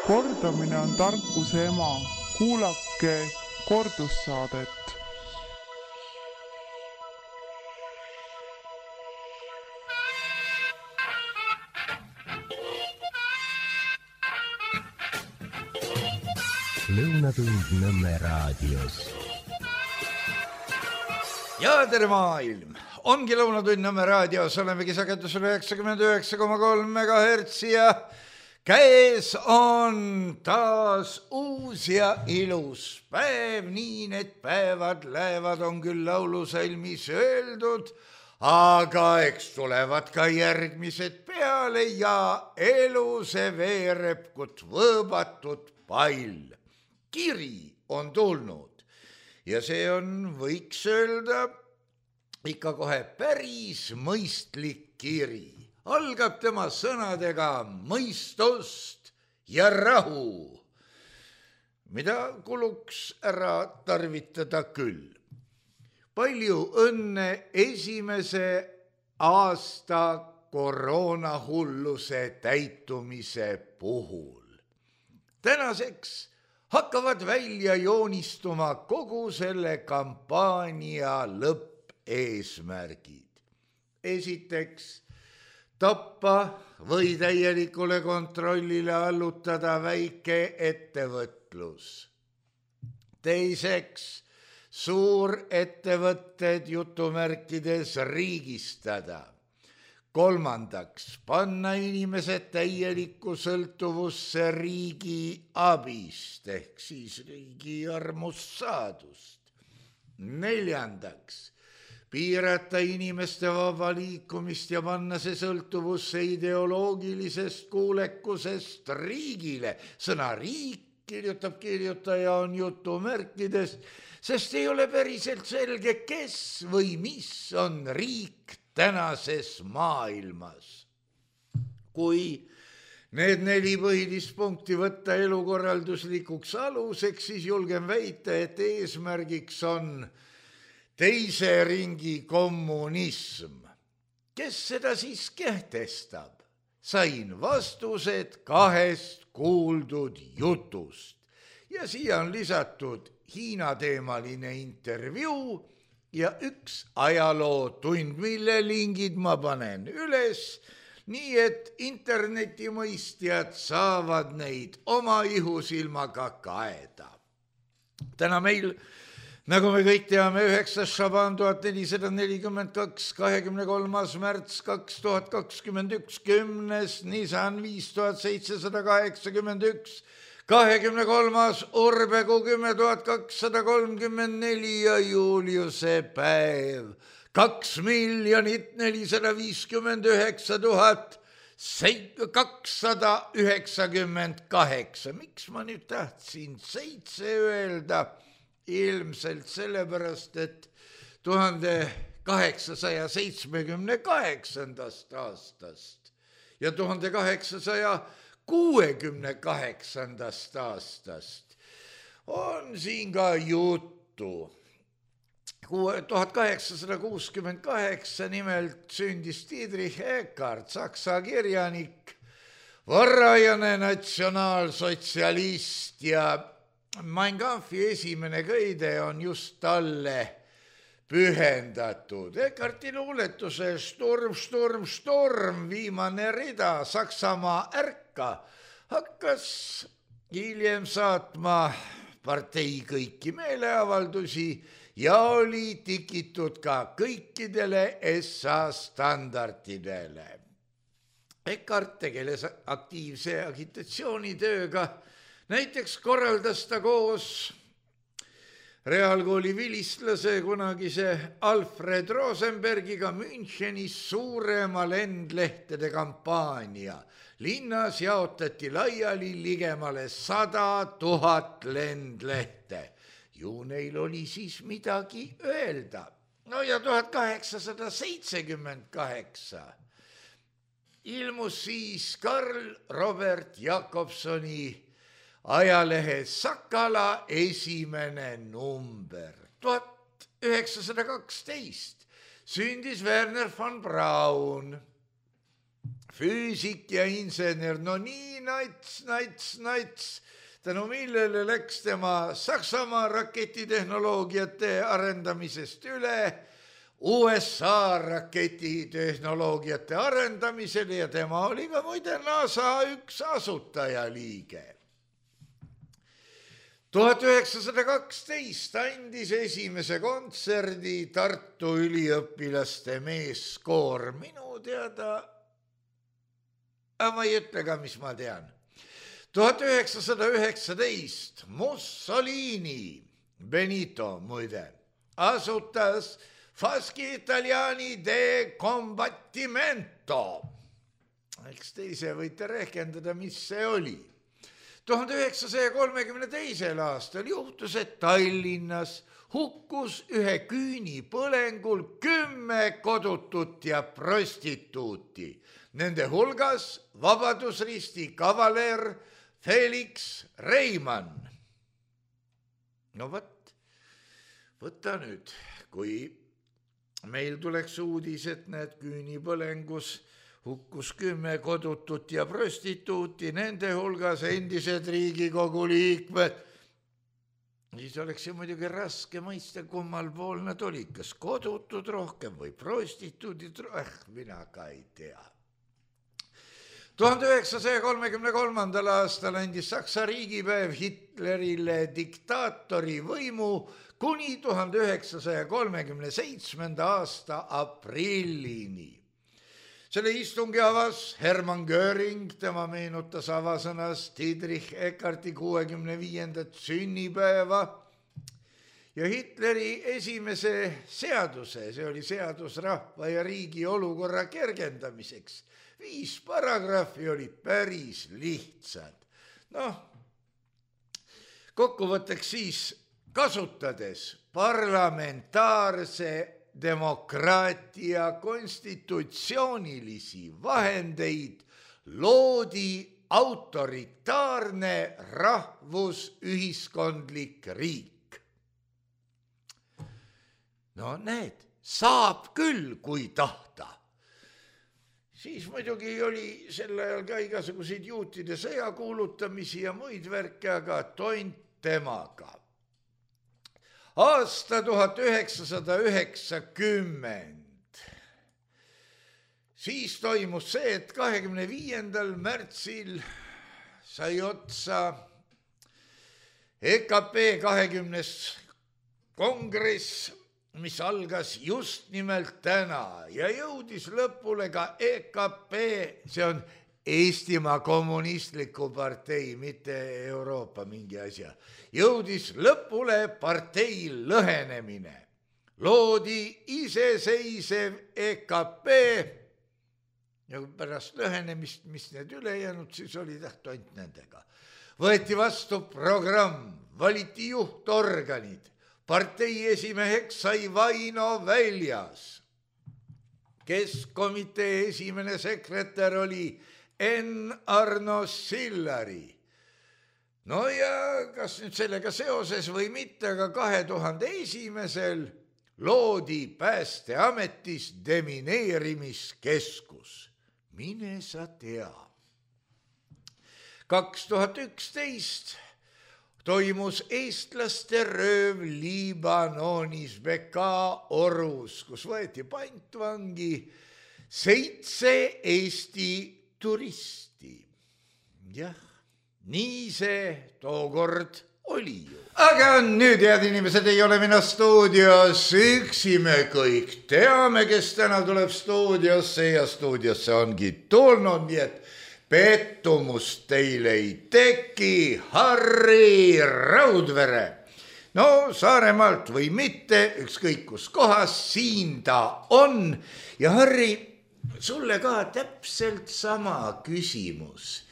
Kordamine on tarkuse ema. Kuulake kordussaadet. Lõunatund Nõmme raadios. Ja tere maailm! Ongi Lõunatund Nõmme raadios, olemegi sagedusel 99,3 MHz ja käes on taas uus ja ilus päev, nii need päevad lähevad, on küll laulusalmis öeldud, aga eks tulevad ka järgmised peale ja elu see veereb võõbatud pall. Kiri on tulnud ja see on, võiks öelda, ikka kohe päris mõistlik kiri. Algab tema sõnadega mõistust ja rahu, mida kuluks ära tarvitada küll. Palju õnne esimese aasta koroonahulluse täitumise puhul. Tänaseks hakkavad välja joonistuma kogu selle kampaania lõppeesmärgid. Esiteks, tappa või täielikule kontrollile allutada väike ettevõtlus. Teiseks, suurettevõtted jutumärkides riigistada. Kolmandaks, panna inimesed täielikku sõltuvusse riigi abist ehk siis riigi armust saadust. Neljandaks, piirata inimeste vaba liikumist ja panna see sõltuvusse ideoloogilisest kuulekusest riigile. Sõna riik kirjutab kirjutaja on jutumärkides, sest ei ole päriselt selge, kes või mis on riik tänases maailmas. Kui need 4 põhilist punkti võtta elukorralduslikuks aluseks, siis julgen väita, et eesmärgiks on teise ringi kommunism. Kes seda siis kehtestab? Sain vastused 2 kuuldud jutust ja siia on lisatud Hiina teemaline intervjuu ja 1 ajalootund, mille lingid ma panen üles, nii et internetimõistjad saavad neid oma ihusilmaga kaeda. Täna meil, nagu me kõik teame, 9. Šaban 1442, 23. märts 2021, 10. Nisan 5781, 23. Urbegu 10.234 ja Juliuse päev 2,059,298. Miks ma nüüd tahtsin 7 öelda? Ilmselt sellepärast, et 1878. aastast ja 1868. aastast on siin ka juttu. 1868 nimelt sündis Friedrich Eckart, saksa kirjanik, varajane natsionaalsotsialist ja Mein Kampfi esimene köide on just talle pühendatud. Eckarti luuletuse Sturm, Sturm, Sturm, viimane rida, Saksamaa ärka, hakkas hiljem saatma partei kõiki meeleavaldusi ja oli tikitud ka kõikidele SA standardidele. Eckart tegeles aktiivse agitatsioonitööga. Näiteks korraldas ta koos reaalkooli vilistlase kunagise Alfred Rosenbergiga Münchenis suurema lendlehtede kampaania. Linnas jaotati laiali ligemale 100 000 lendlehte. Ju neil oli siis midagi öelda. No ja 1878 ilmus siis Karl Robert Jakobsoni ajalehe Sakala esimene number. 1912 sündis Werner von Braun, füüsik ja insener, no nii nats, tänu millele läks tema Saksamaa raketitehnoloogiate arendamisest üle USA raketitehnoloogiate arendamisele ja tema oli ka muide NASA üks asutajaliige. 1912 andis esimese kontserdi Tartu üliõpilaste meeskoor, minu teada, ma ei ütle ka, mis ma tean. 1919 Mussolini, Benito muide, asutas Fasci Italiani de Combattimento. Eks te ise võite rehkendada, mis see oli. 1932. aastal juhtus, et Tallinnas hukkus ühe küünipõlengul 10 kodutut ja prostituuti. Nende hulgas Vabadusristi kavaler Felix Reimann. No võta nüüd, kui meil tuleks uudis, et need küünipõlengus hukkus 10 kodutut ja prostituuti, nende hulgas endised Riigikogu liikmed, siis oleks ju muidugi raske mõista, kummal pool nad olid, kas kodutud rohkem või prostituudid, mina ka ei tea. 1933. aastal andis Saksa riigipäev Hitlerile diktaatori võimu kuni 1937. aasta aprillini. Selle istungi avas Hermann Göring, tema meenutas avasõnas Dietrich Eckarti 65. sünnipäeva ja Hitleri esimese seaduse, see oli seadus rahva ja riigi olukorra kergendamiseks. 5 paragrahvi olid päris lihtsad. Kokkuvõtteks siis, kasutades parlamentaarse demokraatia konstitutsioonilisi vahendeid, loodi autoritaarne rahvusühiskondlik riik. No näed, saab küll, kui tahta. Siis muidugi oli sel ajal ka igasuguseid juutide sõjakuulutamisi ja muid värke, aga tont temaga. Aasta 1990. Siis toimus see, et 25. märtsil sai otsa EKP 20. kongress, mis algas just nimelt täna ja jõudis lõpule ka EKP, see on Eestimaa kommunistliku partei, mitte Euroopa mingi asja, jõudis lõpule partei lõhenemine. Loodi iseseisev EKP ja pärast lõhenemist, mis need ülejäänud, siis oli tont nendega. Võeti vastu programm, valiti juhtorganid, partei esimeheks sai Vaino Väljas. Keskkomitee esimene sekretär oli N. Arno Sillari. No ja kas nüüd sellega seoses või mitte, aga 2001. loodi Päästeametis demineerimiskeskus. Mine sa tea. 2011 toimus eestlaste rööv Liibanonis Beka orus, kus võeti pantvangi 7 Eesti turisti. Jah, nii see tookord oli ju. Aga nüüd, head inimesed, ei ole mina stuudios üksi, me kõik teame, kes täna tuleb stuudiosse ja stuudiosse ongi tulnud, nii et pettumust teile ei teki. Harri Raudvere. No Saaremaalt või mitte, ükskõik kus kohas, siin ta on. Ja Harri, sulle ka täpselt sama küsimus.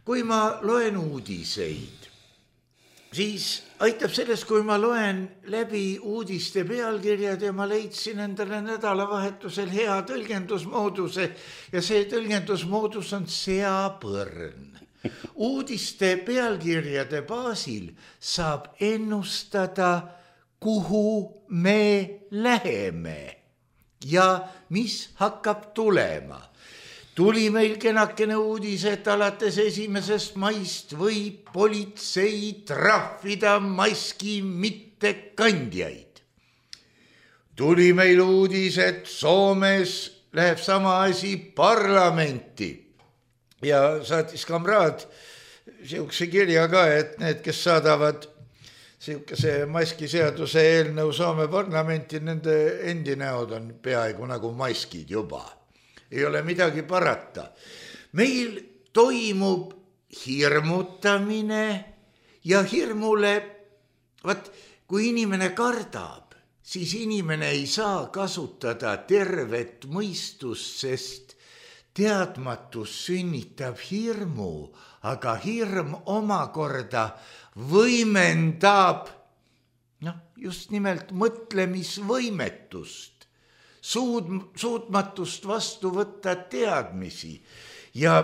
Kui ma loen uudiseid, siis aitab sellest, kui ma loen läbi uudiste pealkirjad ja ma leidsin endale nädalavahetusel hea tõlgendusmooduse ja see tõlgendusmoodus on seapõrn. Uudiste pealkirjade baasil saab ennustada, kuhu me läheme ja mis hakkab tulema. tuli meil kenakene uudis, et alates 1. maist võib politsei trahvida maski mittekandjaid. Tuli meil uudis, et Soomes läheb sama asi parlamenti ja saatis kamraad siukse kirja ka, et need, kes saadavad siukese maskiseaduse eelnõu Soome parlamenti, nende endi näod on peaaegu nagu maskid juba. Ei ole midagi parata. Meil toimub hirmutamine ja hirmule, kui inimene kardab, siis inimene ei saa kasutada tervet mõistust, sest teadmatus sünnitab hirmu, aga hirm omakorda võimendab just nimelt mõtlemisvõimetust. Suutmatust vastu võtta teadmisi ja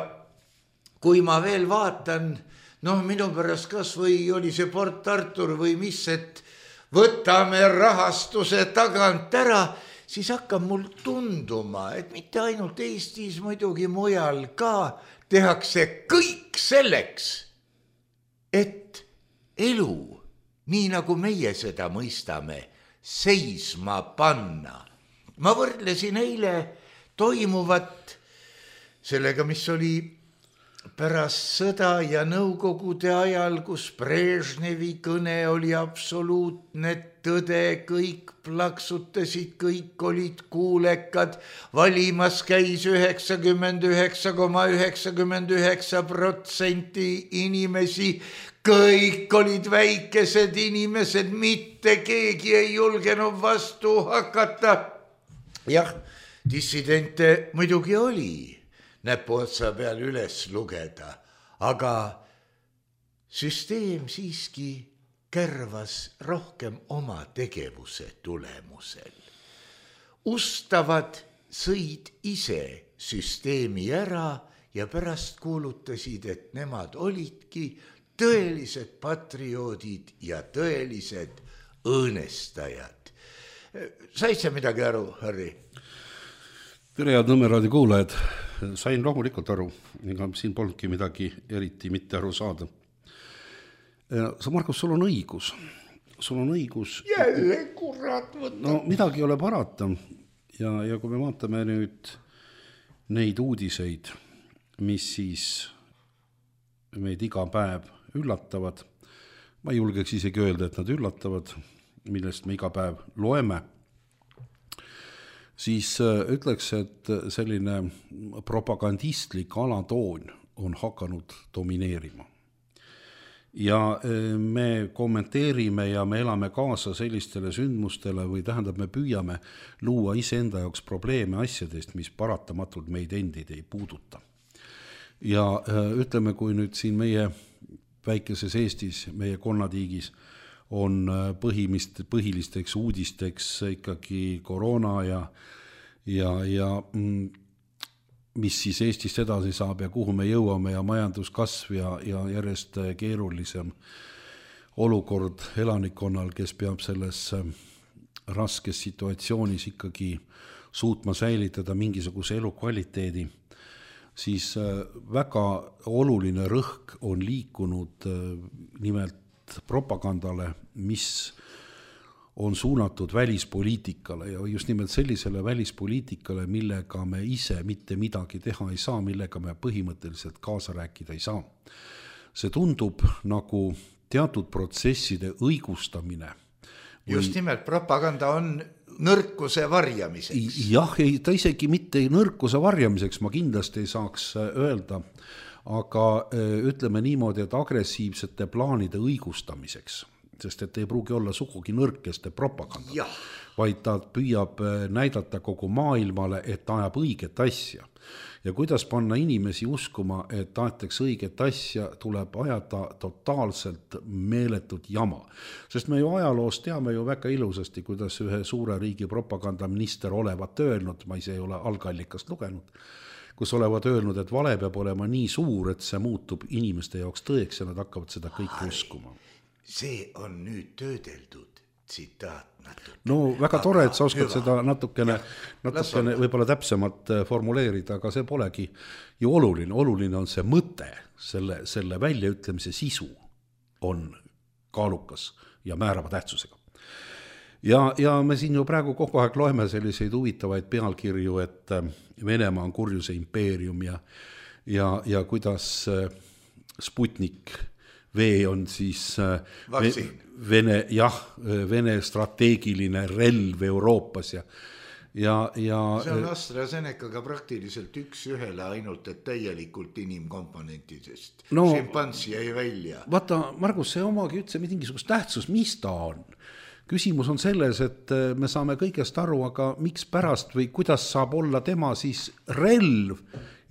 kui ma veel vaatan, minu pärast kas või oli see Port Artur või mis, et võtame rahastuse tagant ära, siis hakkab mul tunduma, et mitte ainult Eestis, muidugi mujal ka tehakse kõik selleks, et elu, nii nagu meie seda mõistame, seisma panna. Ma võrdlesin eile toimuvat sellega, mis oli pärast sõda ja Nõukogude ajal, kus Brežnevi kõne oli absoluutne tõde, kõik plaksutasid, kõik olid kuulekad, valimas käis 99,99% inimesi, kõik olid väikesed inimesed, mitte keegi ei julgenud vastu hakata. Jah, dissidente muidugi oli näpuotsa peal üles lugeda, aga süsteem siiski kärvas rohkem oma tegevuse tulemusel. Ustavad sõid ise süsteemi ära ja pärast kuulutasid, et nemad olidki tõelised patrioodid ja tõelised õõnestajad. Said sa midagi aru, Harri? Tere, head Nõmme raadio kuulajad. Sain loomulikult aru, ega siin polnudki midagi eriti mitte aru saada. Markus, sul on õigus. Jälle kurat võtta. Midagi ei ole parata. Ja kui me vaatame nüüd neid uudiseid, mis siis meid iga päev üllatavad, ma ei julgeks isegi öelda, et nad üllatavad, millest me iga päev loeme, siis ütleks, et selline propagandistlik alatoon on hakanud domineerima. Ja me kommenteerime ja me elame kaasa sellistele sündmustele või tähendab, me püüame luua iseenda jaoks probleeme asjadest, mis paratamatult meid endid ei puuduta. Ja ütleme, kui nüüd siin meie väikeses Eestis, meie konnatiigis on põhilisteks uudisteks ikkagi koroona ja mis siis Eestist edasi saab ja kuhu me jõuame ja majanduskasv ja järjest keerulisem olukord elanikkonnal, kes peab selles raskes situatsioonis ikkagi suutma säilitada mingisuguse elukvaliteedi, siis väga oluline rõhk on liikunud nimelt propagandale, mis on suunatud välispoliitikale ja just nimelt sellisele välispoliitikale, millega me ise mitte midagi teha ei saa, millega me põhimõtteliselt kaasa rääkida ei saa. See tundub nagu teatud protsesside õigustamine. Just nimelt propaganda on nõrkuse varjamiseks. Jah, ta isegi mitte nõrkuse varjamiseks, ma kindlasti ei saaks öelda, aga ütleme niimoodi, et agressiivsete plaanide õigustamiseks, sest et ei pruugi olla sugugi nõrkeste propaganda, vaid ta püüab näidata kogu maailmale, et ta ajab õiget asja. Ja kuidas panna inimesi uskuma, et tahetakse õiget asja, tuleb ajada totaalselt meeletut jama. Sest me ju ajaloos teame ju väga ilusasti, kuidas ühe suure riigi propagandaminister olevat öelnud, ma ise ei ole algallikast lugenud, kus olevat öelnud, et vale peab olema nii suur, et see muutub inimeste jaoks tõeks ja nad hakkavad seda kõike uskuma. See on nüüd töödeldud tsitaat natuke. No väga tore, et sa oskad seda natukene võib-olla täpsemalt formuleerida, aga see polegi ju oluline on see mõte, selle väljaütlemise sisu on kaalukas ja määrava tähtsusega. Ja me siin ju praegu kogu aeg loeme selliseid huvitavaid pealkirju, et Venemaa on kurjuse impeerium ja kuidas Sputnik V on siis Vene strateegiline relv Euroopas ja see on AstraZenecaga praktiliselt üks-ühele ainult, et täielikult inimkomponentidest. Šimpansi jäi välja. Vaata, Margus, see omagi üldse mingisugust tähtsus, mis ta on? Küsimus on selles, et me saame kõigest aru, aga miks pärast või kuidas saab olla tema siis relv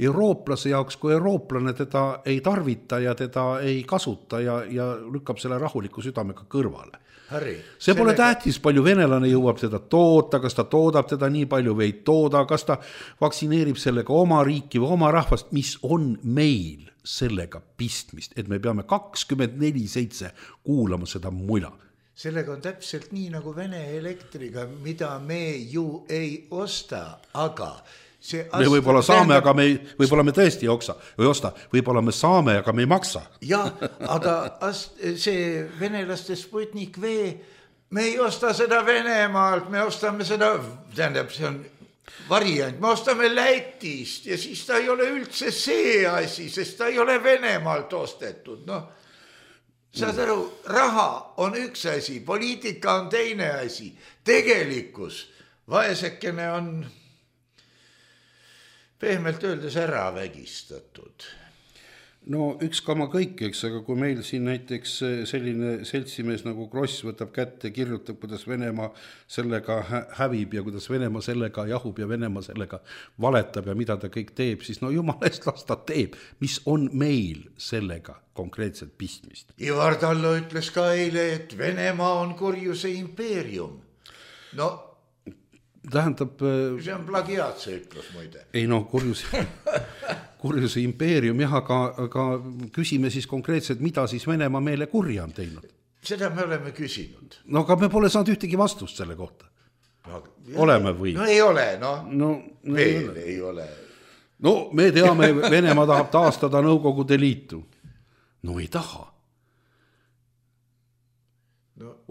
eurooplase jaoks, kui eurooplane teda ei tarvita ja teda ei kasuta ja lükkab selle rahuliku südamega kõrvale. See pole tähtis, palju venelane jõuab teda toota, kas ta toodab teda nii palju või ei tooda, kas ta vaktsineerib sellega oma riiki või oma rahvast, mis on meil sellega pistmist, et me peame 24/7 kuulama seda mula. Sellega on täpselt nii nagu Vene elektriga, mida me ju ei osta, aga me võib-olla saame, aga võib-olla me tõesti ei osta, võib-olla me saame, aga me ei maksa. Jah, aga see venelaste Sputnik V, me ei osta seda Venemaalt, me ostame seda, tähendab, see on variant, me ostame Lätist ja siis ta ei ole üldse see asi, sest ta ei ole Venemaalt ostetud, saad aru, raha on üks asi, poliitika on teine asi, tegelikkus, vaesekene on pehmelt öeldes ära vägistatud. No üks kama kõik, eks, aga kui meil siin näiteks selline seltsimees nagu Kross võtab kätte, kirjutab, kuidas Venemaa sellega hävib ja kuidas Venemaa sellega jahub ja Venemaa sellega valetab ja mida ta kõik teeb, siis no jumala eest las ta teeb, mis on meil sellega konkreetselt pistmist. Ivar Tallo ütles ka eile, et Venemaa on kurjuse impeerium. No tähendab... See on plagiaat, see ütlus muide. Ei no, kurjuse impeerium, jah, aga küsime siis konkreetselt, mida siis Venemaa meile kurja on teinud. Seda me oleme küsinud. No aga me pole saanud ühtegi vastust selle kohta. Oleme või? No ei ole, veel ei ole. No me teame, Venemaa tahab taastada Nõukogude Liitu. No ei taha.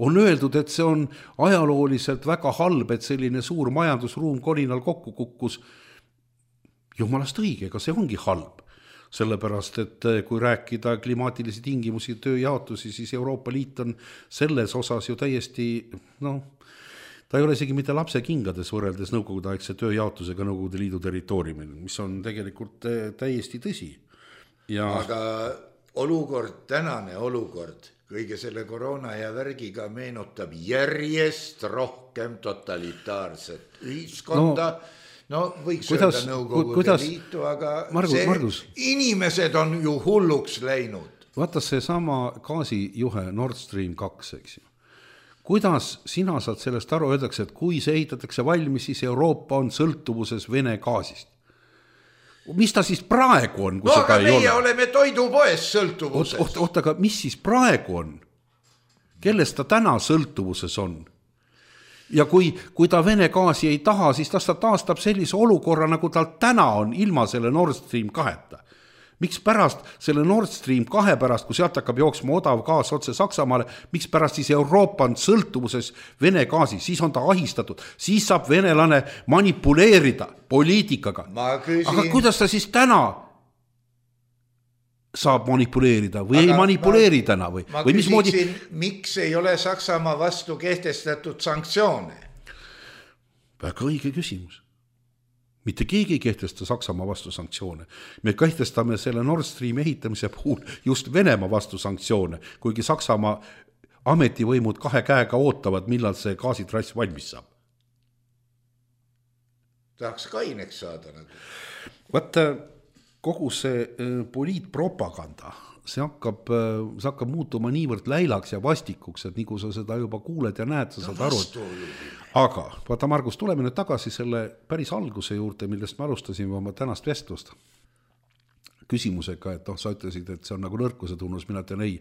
On öeldud, et see on ajalooliselt väga halb, et selline suur majandusruum kolinal kokku kukkus. Jumalast õige, ega see ongi halb. Sellepärast, et kui rääkida klimaatilisi tingimusi tööjaotusi, siis Euroopa Liit on selles osas ju täiesti, ta ei ole isegi mitte lapse kingades võrreldes Nõukogude aegse tööjaotusega Nõukogude Liidu territooriumil, mis on tegelikult täiesti tõsi. Aga tänane olukord kõige selle koroona ja värgiga meenutab järjest rohkem totalitaarset ühiskonda. Võiks öelda Nõukogude Liitu, aga inimesed on ju hulluks läinud. Vaata see sama gaasijuhe Nord Stream 2, eks ju. Kuidas sina saad sellest aru, öeldakse, et kui see ehitatakse valmis, siis Euroopa on sõltuvuses Vene gaasist. Mis ta siis praegu on, kui seda ei ole? Aga meie oleme toidupoes sõltuvuses. Aga mis siis praegu on? Kellest ta täna sõltuvuses on? Ja kui ta Vene gaasi ei taha, siis ta taastab sellise olukorra, nagu tal täna on ilma selle Nord Stream 2-ta. Miks pärast selle Nord Stream 2 pärast, kui sealt hakkab jooksma odav gaas otse Saksamaale, miks pärast siis Euroopa on sõltuvuses Vene gaasi, siis on ta ahistatud, siis saab venelane manipuleerida poliitikaga. Aga kuidas ta siis täna saab manipuleerida või ei manipuleeri täna või? Ma küsiksin, miks ei ole Saksamaa vastu kehtestatud sanktsioone? Väga õige küsimus. Mitte keegi ei kehtesta Saksamaa vastu sanktsioone. Me kehtestame selle Nord Stream ehitamise puhul just Venemaa vastu sanktsioone, kuigi Saksamaa ametivõimud 2 käega ootavad, millal see gaasitrass valmis saab. Tahaks kaineks saada nagu. Vaata, kogu see poliitpropaganda, see hakkab muutuma niivõrd läilaks ja vastikuks, et nii kui sa seda juba kuuled ja näed, sa saad aru. Aga, vaata Margus, tuleme nüüd tagasi selle päris alguse juurde, millest me alustasime oma tänast vestlust. küsimusega, et sa ütlesid, et see on nagu nõrkuse tunnus, mina ütlen ei,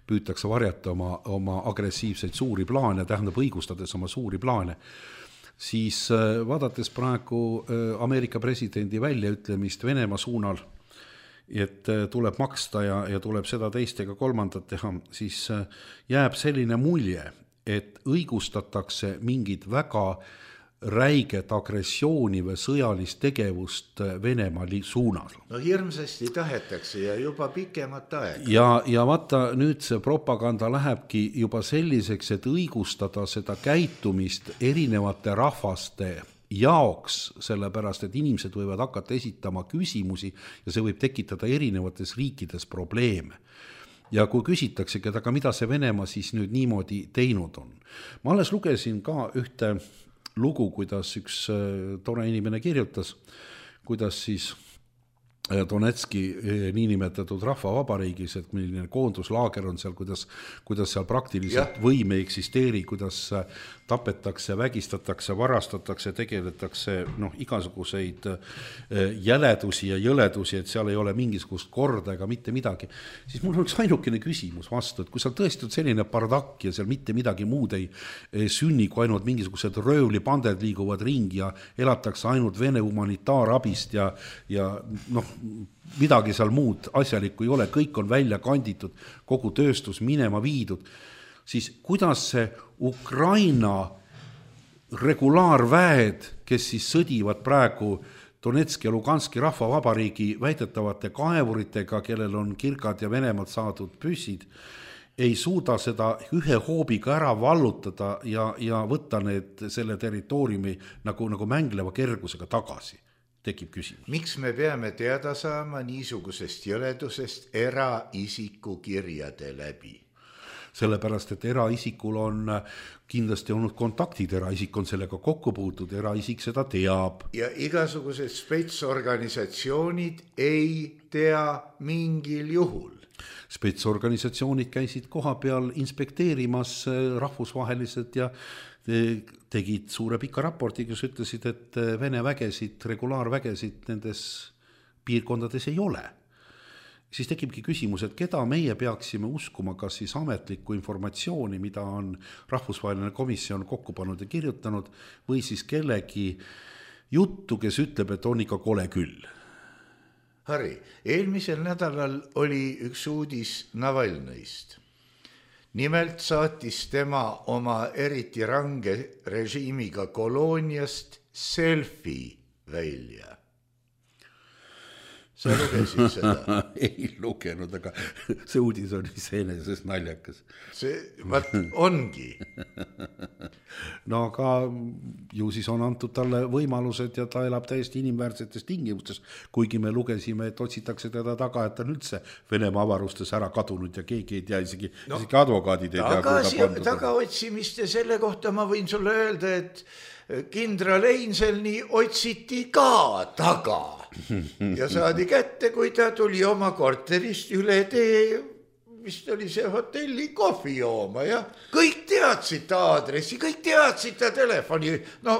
püütakse varjata oma agressiivseid suuri plaane, tähendab õigustades oma suuri plaane, siis vaadates praegu Ameerika presidendi väljaütlemist Venemaa suunal, et tuleb maksta ja tuleb seda teist ega kolmandat teha, siis jääb selline mulje, et õigustatakse mingit väga räiget agressiooni või sõjalist tegevust Venemaa suunal. No hirmsasti tahetakse ja juba pikemat aega. Ja vaata, nüüd see propaganda lähebki juba selliseks, et õigustada seda käitumist erinevate rahvaste jaoks, sellepärast, et inimesed võivad hakata esitama küsimusi ja see võib tekitada erinevates riikides probleeme. Ja kui küsitaksegi, aga mida see Venemaa siis nüüd niimoodi teinud on? Ma alles lugesin ka ühte lugu, kuidas üks tore inimene kirjutas, kuidas siis Donetski niinimetatud rahvavabariigis, et milline koonduslaager on seal, kuidas seal praktiliselt võim ei eksisteeri, kuidas tapetakse, vägistatakse, varastatakse, tegeletakse igasuguseid jäledusi ja jõledusi, et seal ei ole mingisugust korda ega mitte midagi. Siis mul on üks ainukene küsimus vastu, et kui seal tõesti on selline bardakk ja seal mitte midagi muud ei sünni, kui ainult mingisugused röövlipanded liiguvad ringi ja elatakse ainult Vene humanitaarabist ja midagi seal muud asjalikku ei ole, kõik on välja kanditud, kogu tööstus minema viidud, siis kuidas see Ukraina regulaarväed, kes siis sõdivad praegu Donetski ja Luganski rahvavabariigi väidetavate kaevuritega, kellel on kirgad ja Venemaalt saadud püssid, ei suuda seda ühe hoobiga ära vallutada ja võtta selle territooriumi nagu mängleva kergusega tagasi. Tekib küsimus. Miks me peame teada saama niisugusest jõledusest eraisiku kirjade läbi? Sellepärast, et eraisikul on kindlasti olnud kontaktid, eraisik on sellega kokku puutud, eraisik seda teab. Ja igasugused spetsorganisatsioonid ei tea mingil juhul. Spetsorganisatsioonid käisid koha peal inspekteerimas rahvusvaheliselt ja tegid suure pika raporti, kus ütlesid, et Vene vägesid, regulaarvägesid nendes piirkondades ei ole. Siis tekibki küsimus, et keda meie peaksime uskuma, kas siis ametlikku informatsiooni, mida on rahvusvaheline komisjon kokku pannud ja kirjutanud, või siis kellegi juttu, kes ütleb, et on ikka kole küll. Harri, eelmisel nädalal oli üks uudis Navalnõist. Nimelt saatis tema oma eriti range režiimiga kolooniast selfie välja. Sa lugesid seda? Ei lugenud, aga see uudis on iseenesest naljakas. See ongi. No aga ju siis on antud talle võimalused ja ta elab täiesti inimväärsetes tingimustes, kuigi me lugesime, et otsitakse teda taga, et on üldse Venemaa avarustes ära kadunud ja keegi ei tea, isegi advokaadid ei tea. Tagaotsimist ja selle kohta ma võin sulle öelda, et kindral Einselni otsiti ka taga ja saadi kätte, kui ta tuli oma korterist üle tee, vist oli see hotelli kohvi jooma ja kõik teadsid ta aadressi, kõik teadsid ta telefoni,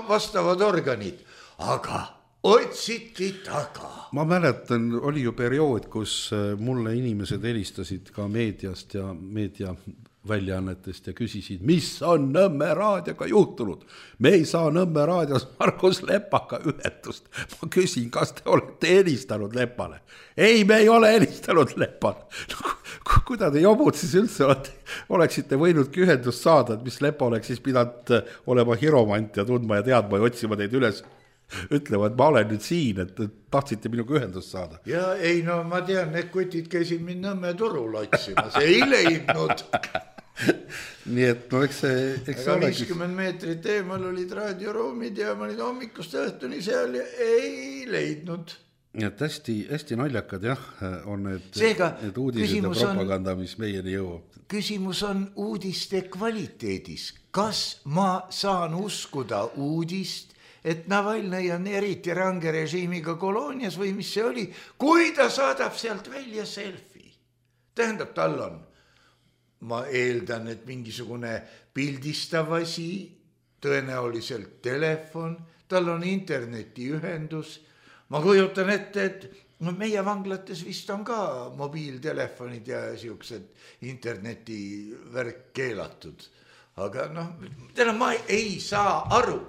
vastavad organid, aga otsiti taga. Ma mäletan, oli ju periood, kus mulle inimesed helistasid ka meediast ja meedia väljaannetest ja küsisid, mis on Nõmme raadioga juhtunud. Me ei saa Nõmme raadios Margus Lepaga ühendust. Ma küsin, kas te olete helistanud Lepale? Ei, me ei ole helistanud Lepale. Kuida te jobud siis üldse oleksite võinudki ühendust saada, et mis Lepa oleks siis pidanud olema hiromant ja tundma ja teadma ja otsima teid üles. Ütlevad, ma olen nüüd siin, et tahtsite minuga ühendust saada. Ja ei, ma tean, need kutid käisid mind Nõmme turul otsima, see ei leidnud. Nii et eks see 50 meetrit eemal olid raadioruumid ja ma olid hommikust õhtuni seal ja ei leidnud. Et hästi naljakad on need uudised ja propaganda, mis meieni jõuab. Küsimus on uudiste kvaliteedis. Kas ma saan uskuda uudist, et Navalnõi on eriti range režiimiga koloonias või mis see oli, kui ta saadab sealt välja selfie? Tähendab, tal on, ma eeldan, et mingisugune pildistav asi, tõenäoliselt telefon, tal on internetiühendus. Ma kujutan ette, et no meie vanglates vist on ka mobiiltelefonid ja siuksed internetivärk keelatud. Aga noh, täna ma ei saa aru.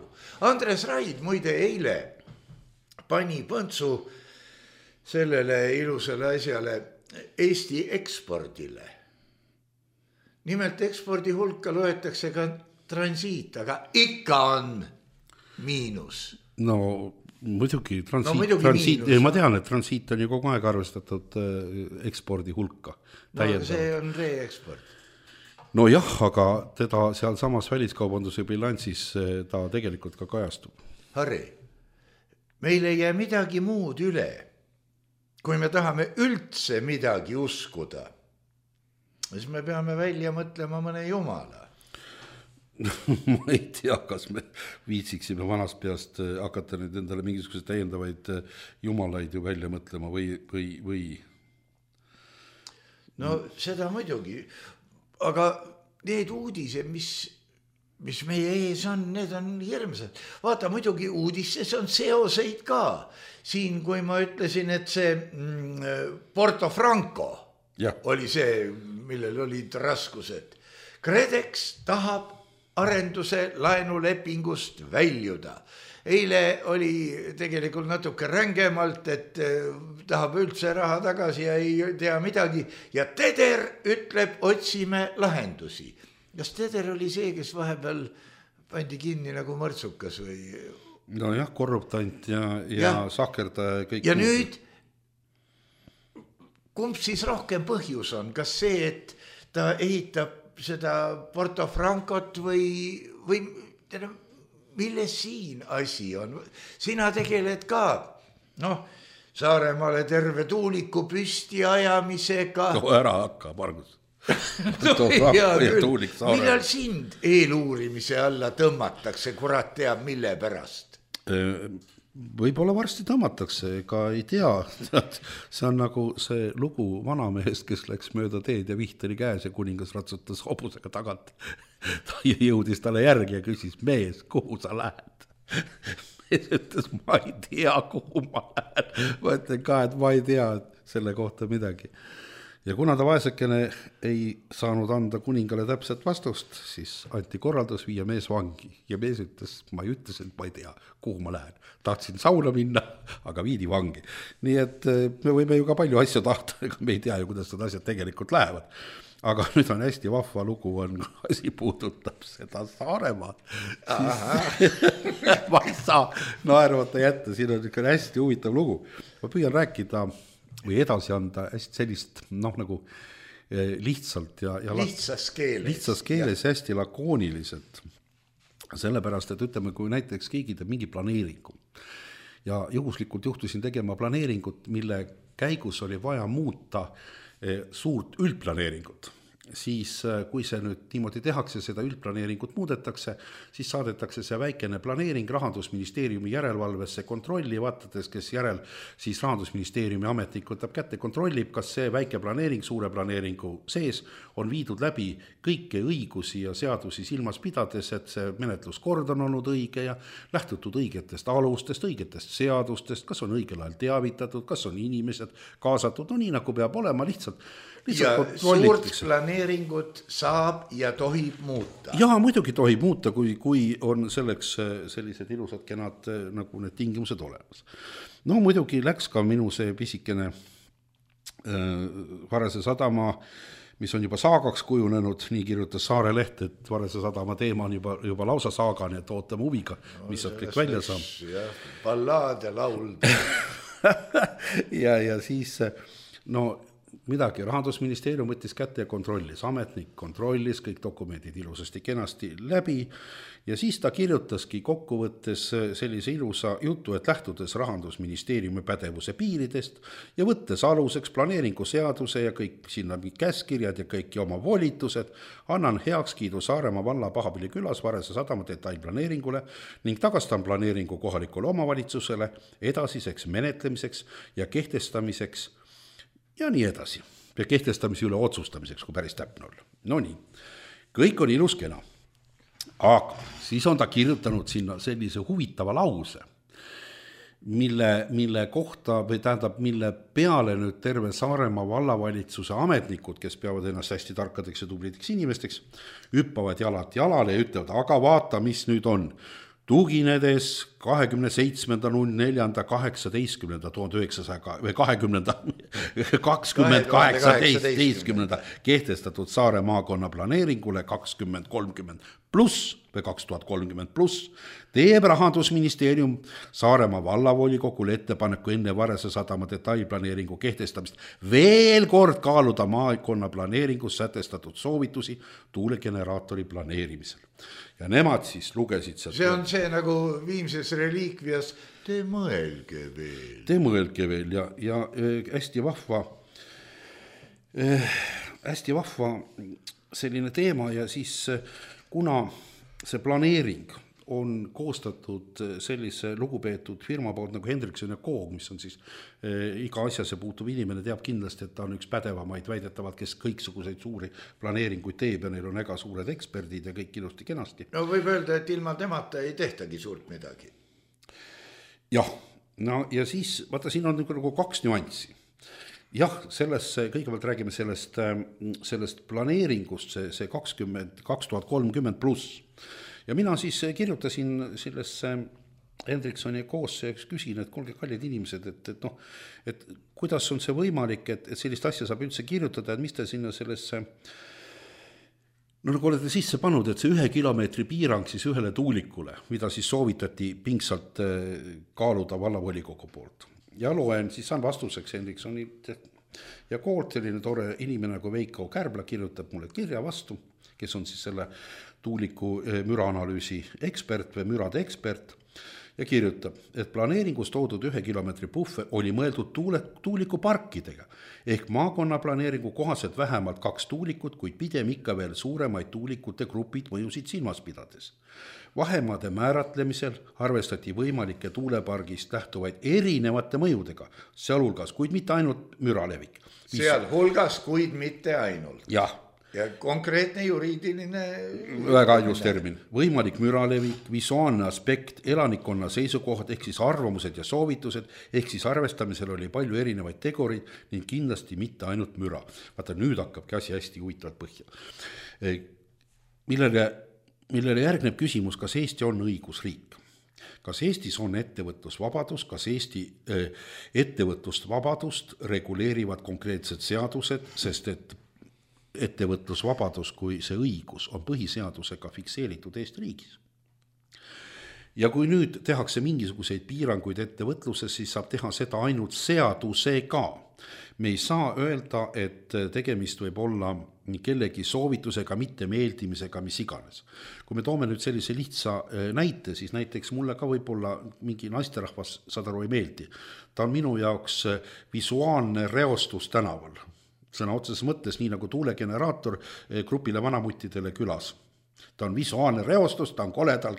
Andres Raid muide eile pani põntsu sellele ilusale asjale Eesti ekspordile. Nimelt ekspordi hulka loetakse ka transiit, aga ikka on miinus. No muidugi transiit, ma tean, et transiit on ju kogu aeg arvestatud ekspordi hulka. No see on reeksport. No jah, aga teda seal samas väliskaubanduse bilansis ta tegelikult ka kajastub. Harri, meil ei jää midagi muud üle, kui me tahame üldse midagi uskuda, siis me peame välja mõtlema mõne jumala. Ma ei tea, kas me viitsiksime vanast peast hakata nüüd endale mingisuguse täiendavaid jumalaid ju välja mõtlema või... No seda muidugi, aga need uudised, mis meie ees on, need on hirmsad. Vaata, muidugi uudistes on seoseid ka. Siin, kui ma ütlesin, et see Porto Franco oli see, millel olid raskused. KredEx tahab arenduse laenulepingust väljuda. Eile oli tegelikult natuke rängemalt, et tahab üldse raha tagasi ja ei tea midagi. Ja Teder ütleb, otsime lahendusi. Kas Teder oli see, kes vahepeal pandi kinni nagu mõrtsukas või? No jah, korruptant ja sahkerdaja. Ja nüüd, kumb siis rohkem põhjus on? Kas see, et ta ehitab seda Porto Francot või milles siin asi on? Sina tegeled ka, Saaremaale terve tuuliku püsti ajamisega. No ära hakka, Margus. Millal sind eeluurimise alla tõmmatakse, kurat teab mille pärast? Võib-olla varsti tõmmatakse, ega ei tea. See on nagu see lugu vanamehest, kes läks mööda teed ja viht oli käes ja kuningas ratsutas hobusega tagant. Ta jõudis talle järgi ja küsis, mees, kuhu sa lähed? Mees ütles, ma ei tea, kuhu ma lähen. Ma ütlen ka, et ma ei tea selle kohta midagi. Ja kuna ta vaesekene ei saanud anda kuningale täpset vastust, siis anti korraldus viia mees vangi. Ja mees ütles, ma ei ütles, et ma ei tea, kuhu ma lähen. Tahtsin sauna minna, aga viidi vangi. Nii et me võime ju ka palju asju tahta, ega me ei tea ju, kuidas need asjad tegelikult lähevad. Aga nüüd on hästi vahva lugu, asi puudutab seda Saaremaad. Ma ei saa naervata jätta, siin on hästi huvitav lugu. Ma püüan rääkida või edasi anda hästi sellist, nagu lihtsalt ja lihtsas keeles ja hästi lakooniliselt. Sellepärast, et ütleme, kui näiteks keegi teeb mingi planeeringu ja juhuslikult juhtusin tegema planeeringut, mille käigus oli vaja muuta suurt üldplaneeringut, siis kui see nüüd niimoodi tehakse, seda üldplaneeringut muudetakse, siis saadetakse see väikene planeering Rahandusministeeriumi järelevalvesse kontrolli, vaatades, kes järel siis Rahandusministeeriumi ametnik võtab kätte, kontrollib, kas see väike planeering suure planeeringu sees on viidud läbi kõiki õigusi ja seadusi silmas pidades, et see menetluskord on olnud õige ja lähtutud õigetest alustest, õigetest seadustest, kas on õigel ajal teavitatud, kas on inimesed kaasatud, nii nagu peab olema lihtsalt ja suurt planeeringut saab ja tohib muuta. Ja muidugi tohib muuta, kui on selleks sellised ilusad kenad nagu need tingimused olemas. No muidugi läks ka minu see pisikene Varese sadama, mis on juba saagaks kujunenud, nii kirjutas Saare Leht, et Varese sadama teema on juba lausa saaga, nii et ootame huviga, mis sealt kõik välja saab. Ballaad ja lauld. ja siis, midagi, Rahandusministeerium võttis kätte ja kontrollis, ametnik kontrollis kõik dokumendid ilusasti kenasti läbi ja siis ta kirjutaski kokkuvõttes sellise ilusa jutu, et lähtudes Rahandusministeeriumi pädevuse piiridest ja võttes aluseks planeeringuseaduse ja kõik sinna käskirjad ja kõiki oma volitused, annan heakskiidu Saaremaa valla Pahapilli külas Varese sadama detailplaneeringule ning tagastan planeeringu kohalikule omavalitsusele edasiseks menetlemiseks ja kehtestamiseks ja nii edasi. Ja kehtestamise üle otsustamiseks, kui päris täpne olla. No nii, kõik on ilus kena. Aga siis on ta kirjutanud sinna sellise huvitava lause, mille kohta või tähendab, mille peale nüüd terve Saaremaa vallavalitsuse ametnikud, kes peavad ennast hästi tarkadeks ja tublideks inimesteks, hüppavad jalalt jalale ja ütlevad, aga vaata, mis nüüd on. Tuginedes 27.04.2018 kehtestatud Saare maakonna planeeringule 2030 pluss või 2030 pluss teeb Rahandusministeerium Saaremaa vallavolikogule ettepaneku enne Varese sadama detailplaneeringu kehtestamist veel kord kaaluda maakonna planeeringus sätestatud soovitusi tuulegeneraatori planeerimisel. Ja nemad siis lugesid seda. See on see nagu Viimses reliikvias, te mõelge veel ja hästi vahva selline teema ja siis kuna see planeering on koostatud sellise lugupeetud firma poolt nagu Hendrikson & Koog, mis on siis iga asjasse puutuv inimene teab kindlasti, et ta on üks pädevamaid väidetavalt, kes kõiksuguseid suuri planeeringuid teeb ja neil on väga suured eksperdid ja kõik ilusti kenasti. No võib öelda, et ilma temata ei tehtagi suurt midagi. Jah, no ja siis vaata, siin on nagu kaks nüanssi. Jah, kõigepealt räägime sellest planeeringust, see 2030 pluss. Ja mina siis kirjutasin sellesse Hendriksoni koosse ja küsin, et kuulge kallid inimesed, et kuidas on see võimalik, et sellist asja saab üldse kirjutada, et mis te sinna sellesse, no nagu olete sisse pannud, et see 1 kilomeetri piirang siis ühele tuulikule, mida siis soovitati pingsalt kaaluda vallavolikogu poolt. Ja loen, siis saan vastuseks Hendriksoni ja koolt selline tore inimene nagu Veiko Kärbla kirjutab mulle kirja vastu, kes on siis selle tuuliku müraanalüüsi ekspert või mürade ekspert ja kirjutab, et planeeringus toodud 1 kilomeetri puffer oli mõeldud tuulikuparkidega ehk maakonna planeeringu kohaselt vähemalt 2 tuulikut, kuid pidem ikka veel suuremaid tuulikute grupid mõjusid silmas pidades. Vahemaade määratlemisel arvestati võimalike tuulepargist lähtuvaid erinevate mõjudega, sealhulgas, kuid mitte ainult müralevik. Sealhulgas, kuid mitte ainult. Jah. Ja konkreetne juriidiline... Väga ilus termin. Võimalik müralevik, visuaalne aspekt, elanikkonna seisukohad, ehk siis arvamused ja soovitused, ehk siis arvestamisel oli palju erinevaid tegureid ning kindlasti mitte ainult müra. Vaata, nüüd hakkabki asi hästi huvitavalt põhja. Millele järgneb küsimus, kas Eesti on õigusriik? Kas Eestis on ettevõtlusvabadus, kas Eesti ettevõtlusvabadust reguleerivad konkreetsed seadused, sest et ettevõtlusvabadus kui see õigus on põhiseadusega fikseeritud Eesti riigis. Ja kui nüüd tehakse mingisuguseid piiranguid ettevõtluses, siis saab teha seda ainult seadusega. Me ei saa öelda, et tegemist võib olla kellegi soovitusega, mitte meeldimisega, mis iganes. Kui me toome nüüd sellise lihtsa näite, siis näiteks mulle ka võib-olla mingi naisterahvas sadaru ei meeldi. Ta on minu jaoks visuaalne reostus tänaval. Sõna otseses mõttes nii nagu tuulegeneraator grupile vanamuttidele külas. Ta on visuaalne reostus, ta on kole, tal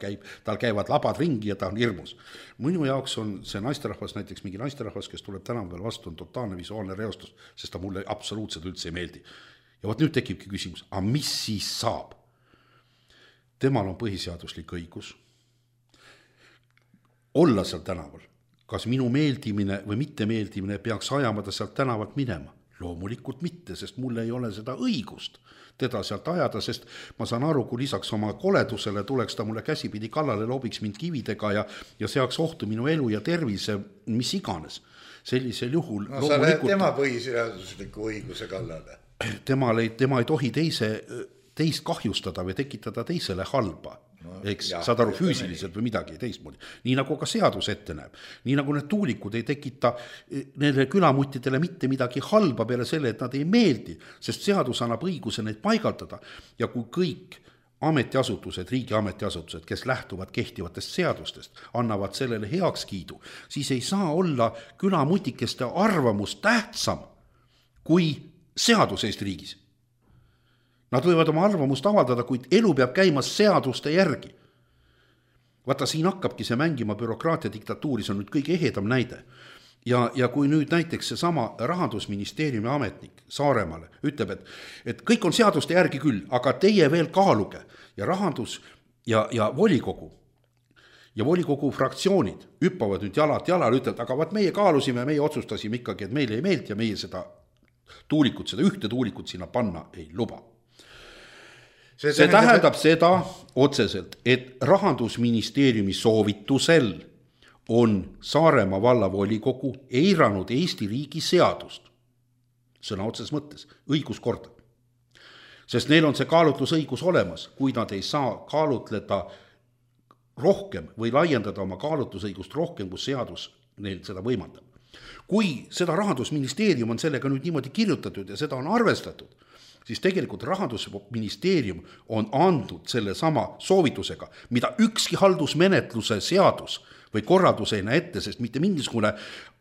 käivad labad ringi ja ta on hirmus. Minu jaoks on see naisterahvas, näiteks mingi naisterahvas, kes tuleb tänaval vastu, on totaalne visuaalne reostus, sest ta mulle absoluutselt üldse ei meeldi. Ja vot nüüd tekibki küsimus, aga mis siis saab? Temal on põhiseaduslik õigus olla seal tänaval. Kas minu meeldimine või mitte meeldimine peaks ajamada sealt tänavalt minema? Loomulikult mitte, sest mul ei ole seda õigust teda sealt ajada, sest ma saan aru, kui lisaks oma koledusele tuleks ta mulle käsipidi kallale, loobiks mind kividega ja seaks ohtu minu elu ja tervise, mis iganes. Sellisel juhul... No sa lähed tema põhiseadusliku õiguse kallale. Tema ei tohi teist kahjustada või tekitada teisele halba. Eks saad aru füüsiliselt või midagi teistmoodi. Nii nagu ka seadus ette näeb. Nii nagu need tuulikud ei tekita nende külamuttidele mitte midagi halba peale selle, et nad ei meeldi, sest seadus annab õiguse neid paigaldada. Ja kui kõik ametiasutused, riigi ametiasutused, kes lähtuvad kehtivatest seadustest, annavad sellele heakskiidu, siis ei saa olla külamutikeste arvamus tähtsam kui seadus Eesti riigis. Nad võivad oma arvamust avaldada, kuid elu peab käima seaduste järgi. Vaata, siin hakkabki see mängima bürokraatia diktatuuri, see on nüüd kõige ehedam näide. Ja kui nüüd näiteks see sama Rahandusministeeriumi ametnik Saaremaale ütleb, et kõik on seaduste järgi küll, aga teie veel kaaluge ja rahandus ja volikogu ja volikogu fraktsioonid hüppavad nüüd jalad jalal, ütlevad, aga vaat meie kaalusime, meie otsustasime ikkagi, et meile ei meelt ja meie seda ühte tuulikut sinna panna ei luba. See tähendab seda otseselt, et Rahandusministeeriumi soovitusel on Saaremaa vallavolikogu eiranud Eesti riigi seadust, sõna otseses mõttes, õiguskorda. Sest neil on see kaalutlusõigus olemas, kui nad ei saa kaalutleda rohkem või laiendada oma kaalutlusõigust rohkem, kus seadus neil seda võimaldab. Kui seda Rahandusministeerium on sellega nüüd niimoodi kirjutatud ja seda on arvestatud, siis tegelikult Rahandusministeerium on andnud selle sama soovitusega, mida ükski haldusmenetluse seadus või korraldus ei näe ette, sest mitte mingisugune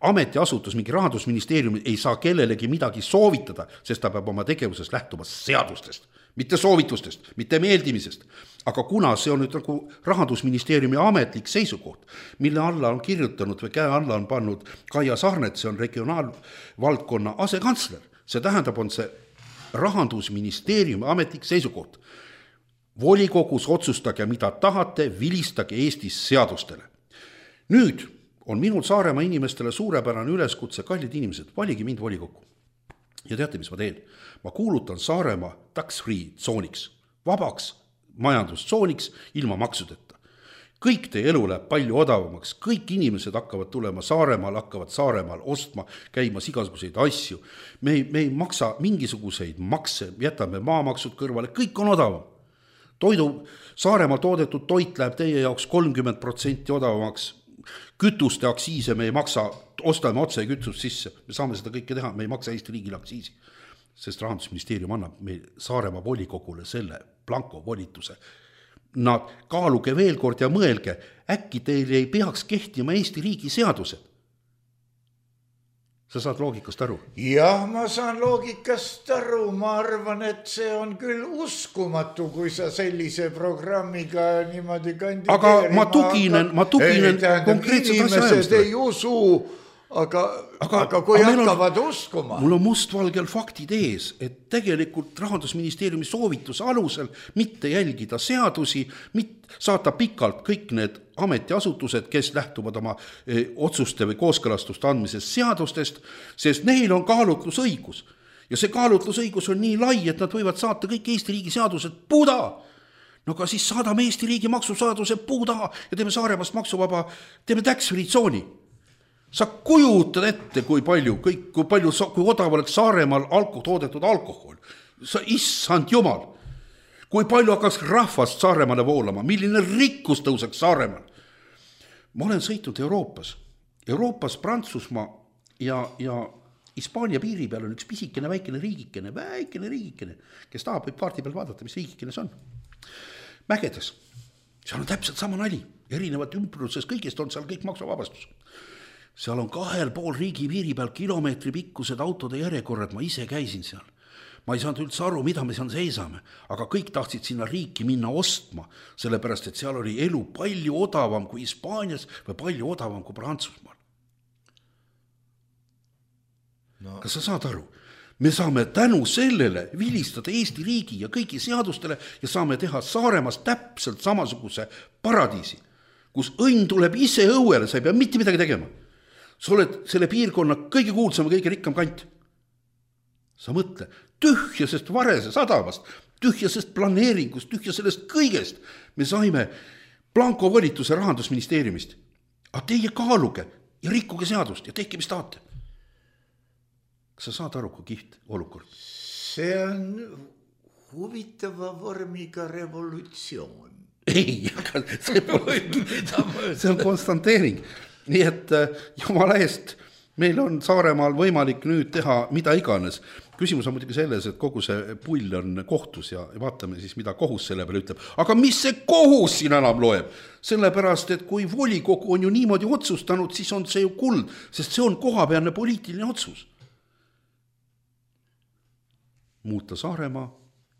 ametiasutus, mingi Rahandusministeerium ei saa kellelegi midagi soovitada, sest ta peab oma tegevuses lähtuma seadustest, mitte soovitustest, mitte meeldimisest. Aga kuna see on nüüd nagu Rahandusministeeriumi ametlik seisukoht, mille alla on kirjutanud või käe alla on pannud Kaia Sarnet, see on regionaalvaldkonna asekantsler, see tähendab, on see Rahandusministeeriumi ametlik seisukoht. Volikogus otsustage, mida tahate, vilistage Eestis seadustele. Nüüd on minul Saaremaa inimestele suurepärane üleskutse, kallid inimesed, valigi mind volikokku. Ja teate, mis ma teen? Ma kuulutan Saaremaa tax-free tsooniks, vabaks majandustsooniks ilma maksudeta. Kõik teie elu läheb palju odavamaks, kõik inimesed hakkavad tulema Saaremaal, hakkavad Saaremaal ostma, käimas igasuguseid asju. Me ei maksa mingisuguseid makse, jätame maamaksud kõrvale, kõik on odavam. Saaremaal toodetud toit läheb teie jaoks 30% odavamaks, kütuste aksiise me ei maksa, ostame otse kütust sisse, me saame seda kõike teha, me ei maksa Eesti riigile aksiisi, sest Rahandusministeerium annab meil Saaremaa volikogule selle blanko volituse. Nad kaaluge veel kord ja mõelge, äkki teil ei peaks kehtima Eesti riigi seadused. Sa saad loogikast aru? Jah, ma saan loogikast aru, ma arvan, et see on küll uskumatu, kui sa sellise programmiga niimoodi kandideerima. Aga ma tuginen konkreetselt inimesed ei usu, aga kui hakkavad uskuma. Mul on mustvalgel faktid ees, et tegelikult Rahandusministeeriumi soovituse alusel mitte jälgida seadusi, saata pikalt kõik need ametiasutused, kes lähtuvad oma otsuste või kooskõlastuste andmisest seadustest, sest neil on kaalutlusõigus. Ja see kaalutlusõigus on nii lai, et nad võivad saata kõik Eesti riigi seadused puuda. No aga siis saadame Eesti riigi maksusaaduse puuda ja teeme Saaremaast maksuvaba, teeme tax-free tsooni. Sa kujutad ette, kui odav oleks Saaremaal toodetud alkohol. Issand jumal, kui palju hakkaks rahvast Saaremaale voolama, milline rikkus tõuseks Saaremaal. Ma olen sõitnud Euroopas Prantsusmaa ja Hispaania piiri peal on üks pisikene väikene riigikene, kes tahab võib kaardi peal vaadata, mis riigikene see on. Mägedes, seal on täpselt sama nali, erinevat ümbruses, kõigest on seal kõik maksuvabastus. Seal on 2,5 riigi piiri peal kilomeetri pikkused autode järjekorrad, ma ise käisin seal. Ma ei saanud üldse aru, mida me seal seisame, aga kõik tahtsid sinna riiki minna ostma, sellepärast, et seal oli elu palju odavam kui Hispaanias või palju odavam kui Prantsusmaal. No. Kas sa saad aru? Me saame tänu sellele vilistada Eesti riigi ja kõigi seadustele ja saame teha Saaremaast täpselt samasuguse paradiisi, kus õnn tuleb ise õuele, sa ei pea mitte midagi tegema. Sa oled selle piirkonna kõige kuulsam ja kõige rikkam kant. Sa mõtle, tühjasest Varese sadamast, tühjasest planeeringust, tühja sellest kõigest me saime blanko volituse Rahandusministeeriumist. Aga teie kaaluge ja rikkuge seadust ja tehke, mis tahate. Kas sa saad aru, kui kiht olukord? See on huvitava vormiga revolutsioon. Ei, aga see on konstanteering. Nii et jumala eest, meil on Saaremaal võimalik nüüd teha mida iganes. Küsimus on muidugi selles, et kogu see pull on kohtus ja vaatame siis, mida kohus selle peale ütleb. Aga mis see kohus siin enam loeb? Sellepärast, et kui volikogu on ju niimoodi otsustanud, siis on see ju kuld, sest see on kohapealne poliitiline otsus. Muuta Saaremaa,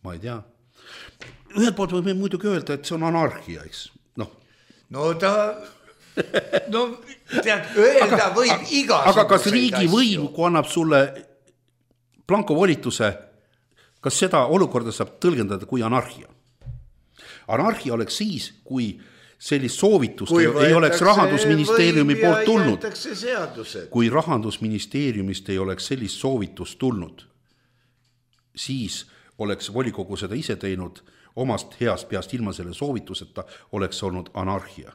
ma ei tea. Ühelt poolt võime muidugi öelda, et see on anarhia, eks? No tead, öelda võib igasuguseid. Aga kas riigi võim, kui annab sulle blanko volituse, kas seda olukorda saab tõlgendada kui anarhia? Anarhia oleks siis, kui sellist soovitust ei oleks Rahandusministeeriumi poolt tulnud. Kui Rahandusministeeriumist ei oleks sellist soovitust tulnud, siis oleks volikogu seda ise teinud omast heast peast ilma selle soovituseta, oleks olnud anarhia.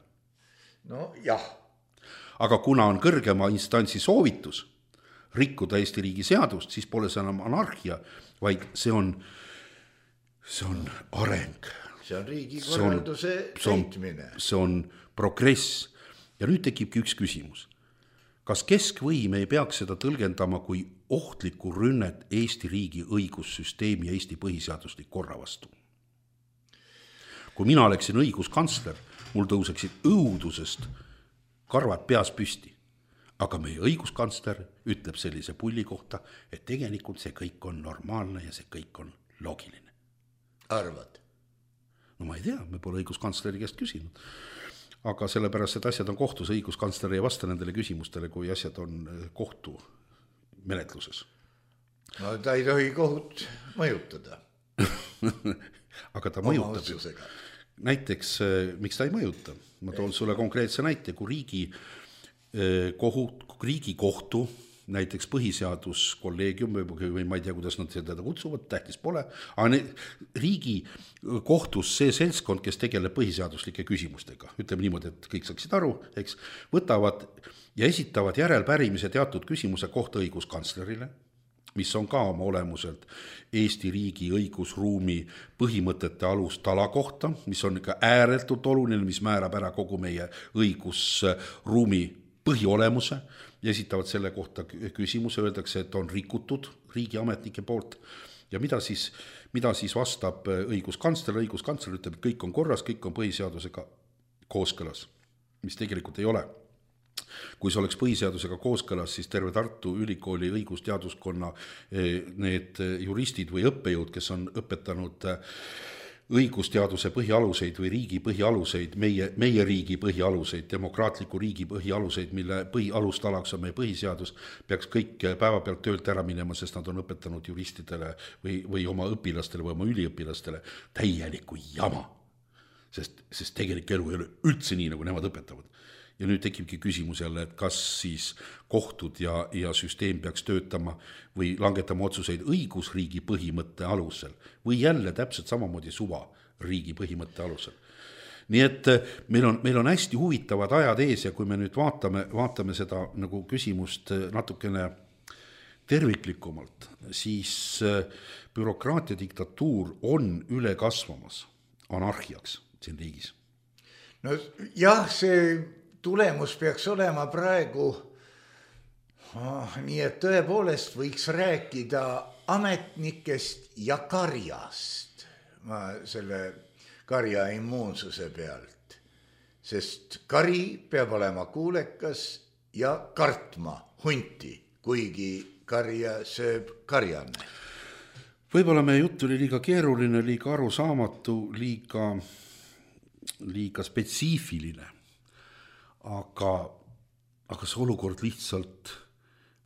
No jah. Aga kuna on kõrgema instantsi soovitus rikkuda Eesti riigi seadust, siis pole see enam anarhia, vaid see on areng. See on riigikorralduse täitmine. See on progress. Ja nüüd tekibki üks küsimus. Kas keskvõim ei peaks seda tõlgendama kui ohtlikku rünnet Eesti riigi õigussüsteemi ja Eesti põhiseaduslik korra vastu? Kui mina oleksin õiguskantsler, mul tõuseksid õudusest karvad peas püsti. Aga meie õiguskantsler ütleb sellise pulli kohta, et tegelikult see kõik on normaalne ja see kõik on loogiline. Arvad? No ma ei tea, me pole õiguskantsleri käest küsinud. Aga sellepärast, et asjad on kohtus, õiguskantsler ei vasta nendele küsimustele, kui asjad on kohtu menetluses. No ta ei tohi kohut mõjutada. Aga ta mõjutab. Näiteks, miks ta ei mõjuta? Ma toon sulle konkreetse näite, kui riigikohtu, näiteks põhiseaduskolleegium või ma ei tea, kuidas nad seda kutsuvad, tähtis pole, aga riigikohtus see seltskond, kes tegeleb põhiseaduslike küsimustega, ütleme niimoodi, et kõik saaksid aru, eks, võtavad ja esitavad järelpärimise teatud küsimuse kohta õiguskantslerile, mis on ka oma olemuselt Eesti riigi õigusruumi põhimõtete alustala kohta, mis on ikka ääretult oluline, mis määrab ära kogu meie õigusruumi põhiolemuse ja esitavad selle kohta küsimuse, öeldakse, et on rikutud riigiametnike poolt ja mida siis vastab õiguskantsler ütleb, et kõik on korras, kõik on põhiseadusega kooskõlas, mis tegelikult ei ole. Kui see oleks põhiseadusega kooskõlas, siis terve Tartu Ülikooli õigusteaduskonna need juristid või õppejõud, kes on õpetanud õigusteaduse põhialuseid või riigi põhialuseid, meie riigi põhialuseid, demokraatliku riigi põhialuseid, mille põhialustalaks on meie põhiseadus, peaks kõik päevapealt töölt ära minema, sest nad on õpetanud juristidele või oma õpilastele või oma üliõpilastele täielikku jama. Sest tegelik elu ei ole üldse nii, nagu nemad õpetavad. Ja nüüd tekibki küsimus jälle, et kas siis kohtud ja süsteem peaks töötama või langetama otsuseid õigusriigi põhimõtte alusel või jälle täpselt samamoodi suva riigi põhimõtte alusel. Nii et meil on hästi huvitavad ajad ees ja kui me nüüd vaatame seda nagu küsimust natukene terviklikumalt, siis bürokraatia diktatuur on üle kasvamas anarhiaks siin riigis. No jah, see tulemus peaks olema praegu nii, et tõepoolest võiks rääkida ametnikest ja karjast. Ma selle karja immuunsuse pealt, sest kari peab olema kuulekas ja kartma hunti, kuigi karja sööb karjane. Võib-olla meie jutt oli liiga keeruline, liiga arusaamatu, liiga spetsiifiline. Aga see olukord lihtsalt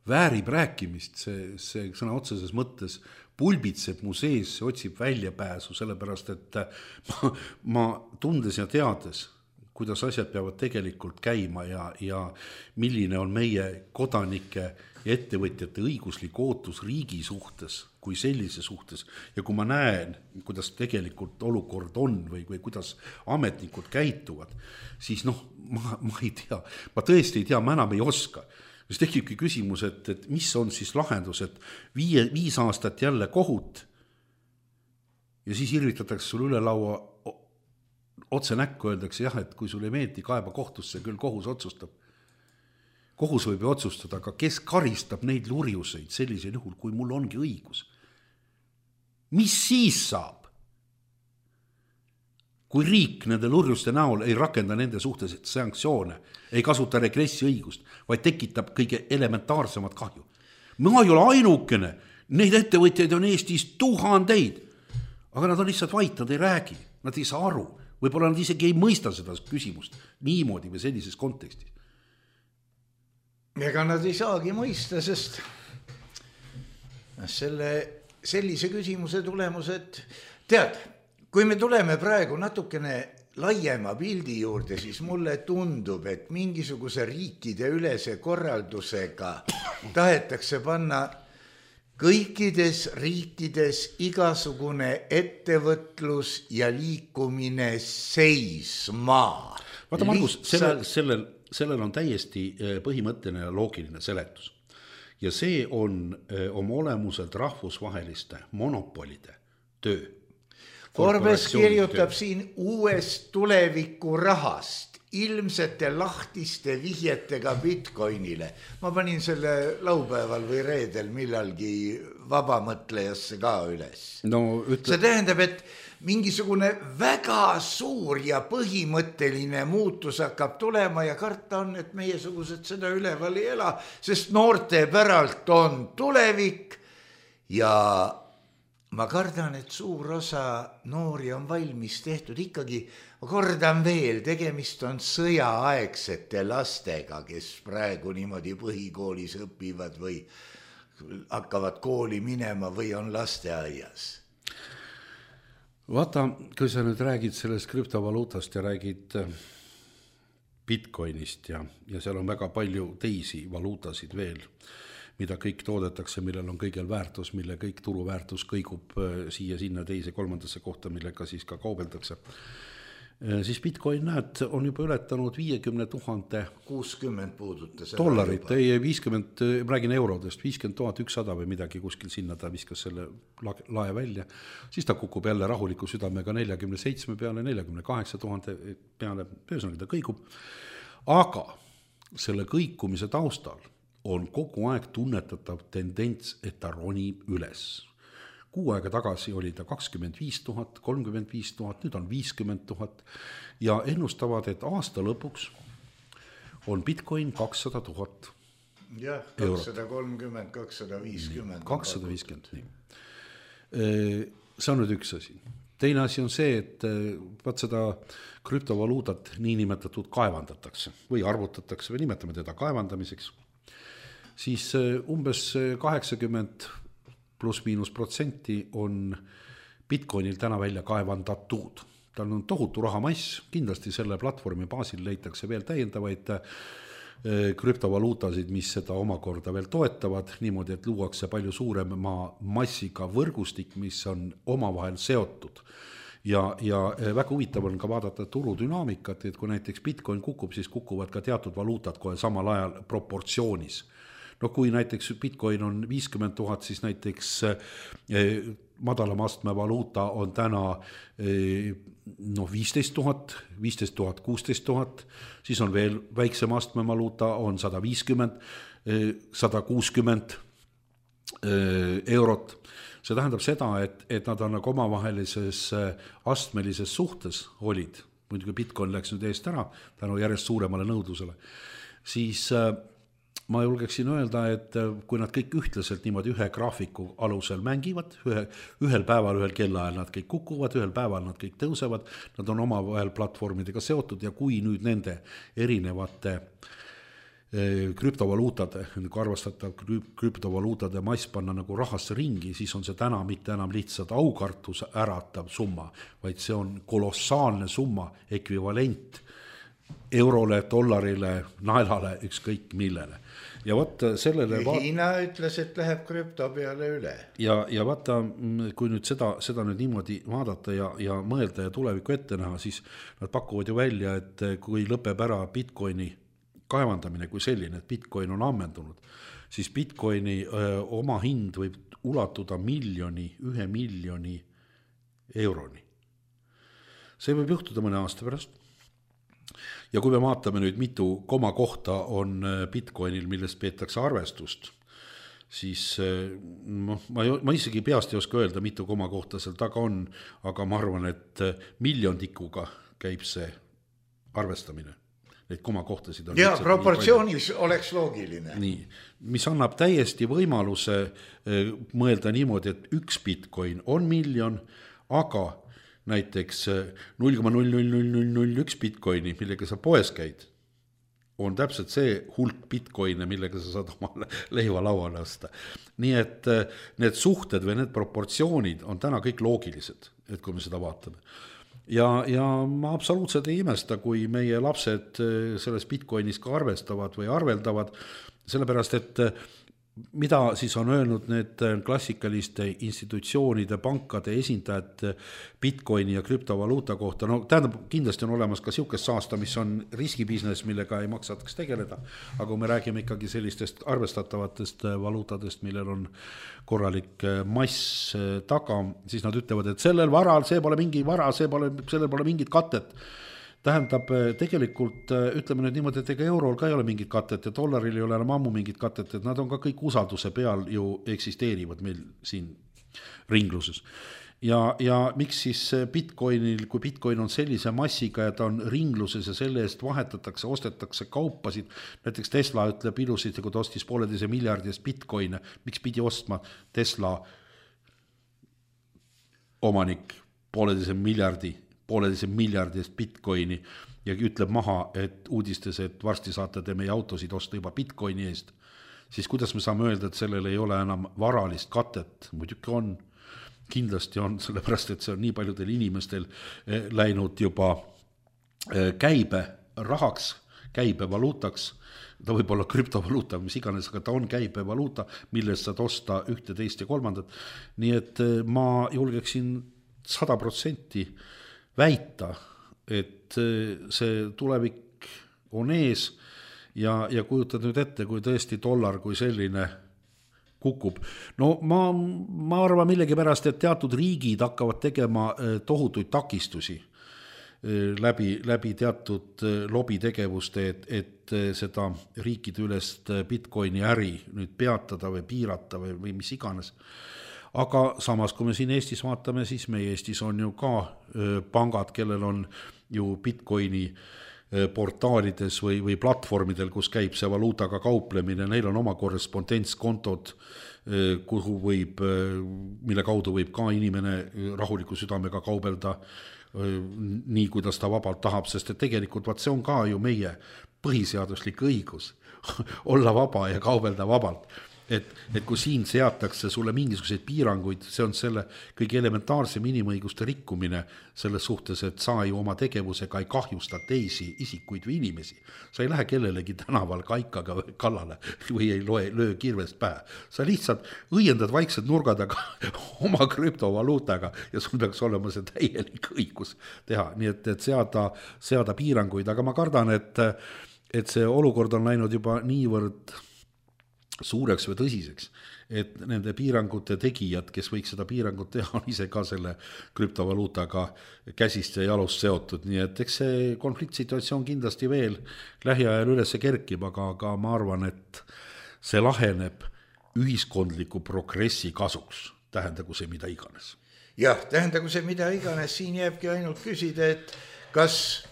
väärib rääkimist, see sõna otseses mõttes pulbitseb mu sees, see otsib väljapääsu, sellepärast et ma tundes ja teades, kuidas asjad peavad tegelikult käima ja milline on meie kodanike ja ettevõtjate õiguslik ootus riigi suhtes kui sellise suhtes ja kui ma näen, kuidas tegelikult olukord on või kuidas ametnikud käituvad, siis ma ei tea, ma tõesti ei tea, ma enam ei oska. Siis tekibki küsimus, et mis on siis lahendus, et 5 aastat jälle kohut ja siis irvitatakse sul üle laua otse näkku, öeldakse jah, et kui sul ei meeldi kaeba kohtusse, küll kohus otsustab. Kohus võib ju otsustada, aga kes karistab neid lurjuseid sellisel juhul, kui mul ongi õigus? Mis siis saab? Kui riik nende lurjuste näol ei rakenda nende suhtes sanktsioone, ei kasuta regressi õigust, vaid tekitab kõige elementaarsemat kahju. Ma ei ole ainukene, neid ettevõtjaid on Eestis 1000, aga nad on lihtsalt vait, nad ei räägi, nad ei saa aru. Võib-olla nad isegi ei mõista seda küsimust niimoodi või sellises kontekstis. Ega nad ei saagi mõista, sest sellise küsimuse tulemused, tead, kui me tuleme praegu natukene laiema pildi juurde, siis mulle tundub, et mingisuguse riikide ülese korraldusega tahetakse panna kõikides riikides igasugune ettevõtlus ja liikumine seisma. Vaata, Margus, sellel on täiesti põhimõtteline ja loogiline seletus. Ja see on oma olemuselt rahvusvaheliste monopolide töö. Forbes kirjutab siin uuest tuleviku rahast, ilmsete lahtiste vihjetega Bitcoinile. Ma panin selle laupäeval või reedel millalgi vabamõtlejasse ka üles. No, see tähendab, et mingisugune väga suur ja põhimõtteline muutus hakkab tulema ja karta on, et meiesugused seda üleval ei ela, sest noorte päralt on tulevik ja ma kardan, et suur osa noori on valmis tehtud ikkagi, ma kordan veel, tegemist on sõjaaegsete lastega, kes praegu niimoodi põhikoolis õpivad või hakkavad kooli minema või on lasteaias. Vaata, kui sa nüüd räägid sellest krüptovaluutast ja räägid Bitcoinist ja seal on väga palju teisi valuutasid veel, mida kõik toodetakse, millel on kõigel väärtus, mille kõik turuväärtus kõigub siia, sinna, teise, kolmandasse kohta, millega siis ka kaubeldakse. Siis Bitcoin, näed, on juba ületanud 50 000 60 puudutas dollarit, ei 50, räägin eurodest, 50 100 või midagi kuskil sinna, ta viskas selle lae välja, siis ta kukub jälle rahuliku südamega 47 peale, 48 000 peale, ühesõnaga ta kõigub, aga selle kõikumise taustal on kogu aeg tunnetatav tendents, et ta ronib üles. Kuu aega tagasi oli ta 25 000, 35 000, nüüd on 50 000 ja ennustavad, et aasta lõpuks on Bitcoin 200 000 jah, 230, 250. 250, nii. See on nüüd üks asi. Teine asi on see, et vaat seda krüptovaluutat niinimetatud kaevandatakse või arvutatakse või nimetame teda kaevandamiseks. Siis umbes 80% +- on Bitcoinil täna välja kaevandatud. Tal on tohutu rahamass, kindlasti selle platvormi baasil leitakse veel täiendavaid krüptovaluutasid, mis seda omakorda veel toetavad, niimoodi, et luuakse palju suurema massiga võrgustik, mis on omavahel seotud. Ja väga huvitav on ka vaadata turudünaamikat, et kui näiteks Bitcoin kukub, siis kukuvad ka teatud valuutad kohe samal ajal proportsioonis. No kui näiteks Bitcoin on 50 000, siis näiteks madalam astme valuuta on täna 15 000, 15 000, 16 000, siis on veel väiksem astme valuuta, on 150, 160 eurot. See tähendab seda, et nad on nagu omavahelises astmelises suhtes olid, muidugi Bitcoin läks nüüd eest ära, tänu järjest suuremale nõudlusele, siis ma julgeksin öelda, et kui nad kõik ühtlaselt niimoodi ühe graafiku alusel mängivad, ühel päeval, ühel kellaajal nad kõik kukuvad, ühel päeval nad kõik tõusevad, nad on omavahel platvormidega seotud ja kui nüüd nende erinevate krüptovaluutade, kui arvestatav krüptovaluutade mass panna nagu rahasse ringi, siis on see täna mitte enam lihtsalt aukartus äratav summa, vaid see on kolossaalne summa, ekvivalent eurole, dollarile, naelale, ükskõik millele. Ja vaata sellele... Hiina ütles, et läheb krüpto peale üle. Ja vaata, kui nüüd seda nüüd niimoodi vaadata ja mõelda ja tulevikku ette näha, siis nad pakuvad ju välja, et kui lõpeb ära Bitcoini kaevandamine kui selline, et Bitcoin on ammendunud, siis Bitcoini oma hind võib ulatuda 1 miljoni euroni. See võib juhtuda mõne aasta pärast. Ja kui me vaatame nüüd mitu komakohta on Bitcoinil, millest peetakse arvestust, siis ma isegi peast ei oska öelda, mitu komakohta seal taga on, aga ma arvan, et miljondikuga käib see arvestamine. Neid komakohtasid on... Ja proportsioonis oleks loogiline. Nii, mis annab täiesti võimaluse mõelda niimoodi, et üks Bitcoin on miljon, aga näiteks 0,00001 Bitcoini, millega sa poes käid, on täpselt see hulk Bitcoine, millega sa saad oma leiva lauale osta. Nii et need suhted või need proportsioonid on täna kõik loogilised, et kui me seda vaatame. ja ma absoluutselt ei imesta, kui meie lapsed selles Bitcoinis ka arvestavad või arveldavad, sellepärast et mida siis on öelnud need klassikaliste institutsioonide, pankade esindajad Bitcoini ja krüptovaluuta kohta, no tähendab, kindlasti on olemas ka siukest saasta, mis on riskibusiness, millega ei maksataks tegeleda, aga kui me räägime ikkagi sellistest arvestatavatest valuutadest, millel on korralik mass taga, siis nad ütlevad, et sellel varal, see pole mingi vara, sellel pole mingit katet. Tähendab, tegelikult ütleme nüüd niimoodi, et ega eurol ka ei ole mingit katet ja dollaril ei ole enam ammu mingit katet, et nad on ka kõik usalduse peal ju eksisteerivad meil siin ringluses. Ja miks siis Bitcoinil, kui Bitcoin on sellise massiga ja ta on ringluses ja selle eest vahetatakse, ostetakse kaupasid, näiteks Tesla ütleb ilusasti, kui ta ostis 1,5 miljardi eest Bitcoine, miks pidi ostma Tesla omanik 1,5 miljardi eest Bitcoini ja ütleb maha, et uudistes, et varsti saate te meie autosid osta juba Bitcoini eest, siis kuidas me saame öelda, et sellel ei ole enam varalist katet? Muidugi on, kindlasti on, sellepärast et see on nii paljudel inimestel läinud juba käibe rahaks, käibevaluutaks, ta võib olla krüptovaluuta, mis iganes, aga ta on käibevaluuta, millest saad osta ühte, teist ja kolmandat. Nii et ma julgeksin 100% väita, et see tulevik on ees ja kujutad nüüd ette, kui tõesti dollar kui selline kukub. No ma arvan millegipärast, et teatud riigid hakkavad tegema tohutuid takistusi läbi teatud lobitegevuste, et seda riikide ülest Bitcoini äri nüüd peatada või piirata või mis iganes. Aga samas, kui me siin Eestis vaatame, siis meie Eestis on ju ka pangad, kellel on ju Bitcoini portaalides või platvormidel, kus käib see valuutaga kauplemine, neil on oma korrespondentskontod, mille kaudu võib ka inimene rahuliku südamega kaubelda nii, kuidas ta vabalt tahab, sest et tegelikult see on ka ju meie põhiseaduslik õigus olla vaba ja kaubelda vabalt. Et kui siin seatakse sulle mingisuguseid piiranguid, see on selle kõige elementaarsem inimõiguste rikkumine selles suhtes, et sa ju oma tegevusega ei kahjusta teisi isikuid või inimesi. Sa ei lähe kellelegi tänaval kaikaga kallale või ei löö kirvest pähe. Sa lihtsalt õiendad vaiksed nurgad oma krüptovaluutaga ja sul peaks olema see täielik õigus teha. Nii et seada piiranguid, aga ma kardan, et see olukord on läinud juba niivõrd suureks või tõsiseks, et nende piirangute tegijad, kes võiks seda piirangut teha, on ise ka selle krüptovaluutaga käsist ja jalust seotud, nii et eks see konfliktsituatsioon kindlasti veel lähiajal üles kerkib, aga ma arvan, et see laheneb ühiskondliku progressi kasuks, tähendagu see mida iganes. Jah, tähendagu see mida iganes, siin jääbki ainult küsida, et kas,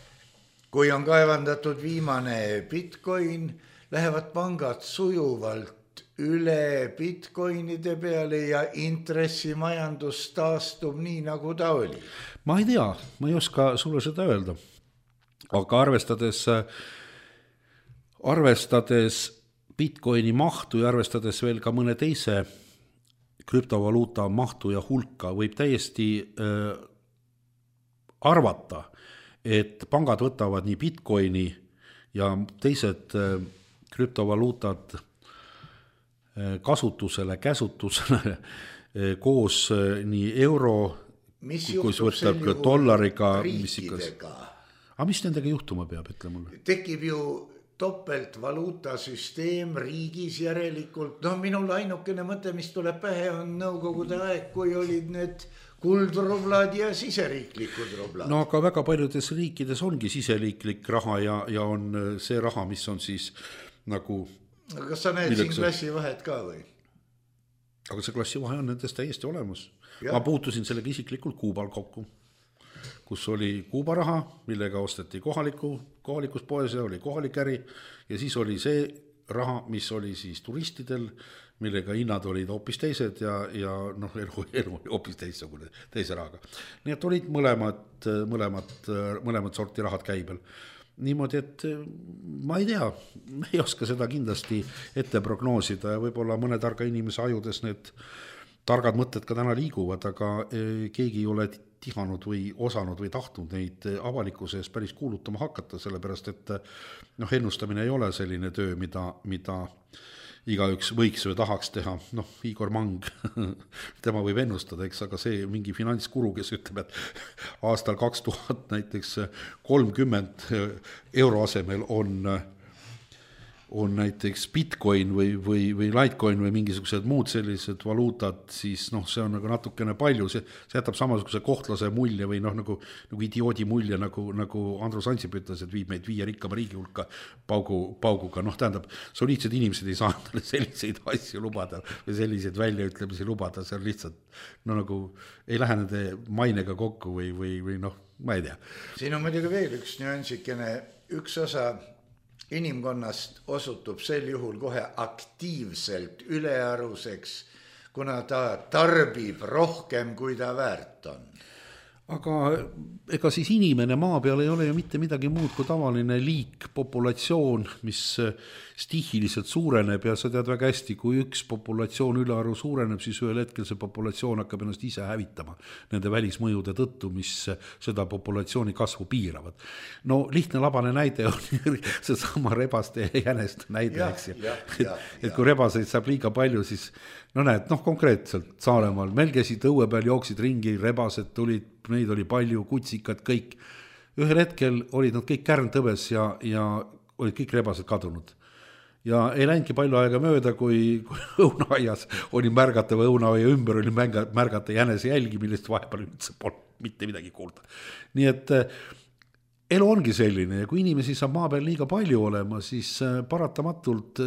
kui on kaevandatud viimane Bitcoin, lähevad pangad sujuvalt üle Bitcoinide peale ja intressimajandus taastub nii, nagu ta oli? Ma ei tea, ma ei oska sulle seda öelda. Aga arvestades Bitcoini mahtu ja arvestades veel ka mõne teise krüptovaluuta mahtu ja hulka, võib täiesti arvata, et pangad võtavad nii Bitcoini ja teised krüptovaluutad kasutusele, käsutusele koos nii euro, kus võtab ka dollariga, riikidega? Aga mis nendega juhtuma peab, ütle mulle? Tekib ju topeltvaluutasüsteem riigis järelikult. No minul ainukene mõte, mis tuleb pähe, on nõukogude aeg, kui olid need kuldrublad ja siseriiklikud rublad. No aga väga paljudes riikides ongi siseriiklik raha ja on see raha, mis on siis nagu... Kas sa näed siin klassivahet ka või? Aga see klassivahe on nendest täiesti olemas. Ja. Ma puutusin sellega isiklikult Kuubal kokku, kus oli Kuuba raha, millega osteti kohalikus poes ja oli kohalik äri ja siis oli see raha, mis oli siis turistidel, millega hinnad olid hoopis teised ja elu oli hoopis teise rahaga. Nii et olid mõlemad sorti rahad käibel. Niimoodi, et ma ei tea, ei oska seda kindlasti ette prognoosida ja võib-olla mõne targa inimese ajudes need targad mõtted ka täna liiguvad, aga keegi ei ole tihanud või osanud või tahtnud neid avalikkuse ees päris kuulutama hakata, sellepärast et ennustamine ei ole selline töö, mida igaüks võiks või tahaks teha. Igor Mang, tema võib ennustada, eks, aga see mingi finantskuru, kes ütleb, et aastal 2000 näiteks 30 euro asemel on näiteks Bitcoin või Litecoin või mingisugused muud sellised valuutad, siis see on nagu natukene palju, see jätab samasuguse kohtlase mulje või nagu idioodi mulje, nagu Andrus Ansip ütles, et viib meid 5 rikkama riigi hulka pauguga, tähendab, soliidsed inimesed ei saa selliseid asju lubada või selliseid väljaütlemisi lubada, see on lihtsalt nagu ei lähe nende mainega kokku või ma ei tea. Siin on muidugi veel üks nüansikene, üks osa inimkonnast osutub sel juhul kohe aktiivselt ülearuseks, kuna ta tarbib rohkem, kui ta väärt on. Aga ega siis inimene maa peal ei ole ju mitte midagi muud kui tavaline liik, populatsioon, mis stihiliselt suureneb ja sa tead väga hästi, kui üks populatsioon ülearu suureneb, siis ühel hetkel see populatsioon hakkab ennast ise hävitama nende välismõjude tõttu, mis seda populatsiooni kasvu piiravad. Lihtne labane näide on seesama rebaste ja jäneste näide, eks ju. Et kui rebaseid saab liiga palju, siis näed, konkreetselt Saaremaal, meil käisid õue peal, jooksid ringi, rebased tulid, neid oli palju, kutsikad, kõik. Ühel hetkel olid nad kõik kärntõbes ja olid kõik rebased kadunud. Ja ei läinudki palju aega mööda, kui õunaaias oli märgata või õunaaia ümber oli märgata jänese jälgi, millest vahepeal üldse polnud mitte midagi kuulda. Nii et elu ongi selline ja kui inimesi saab maa peal liiga palju olema, siis paratamatult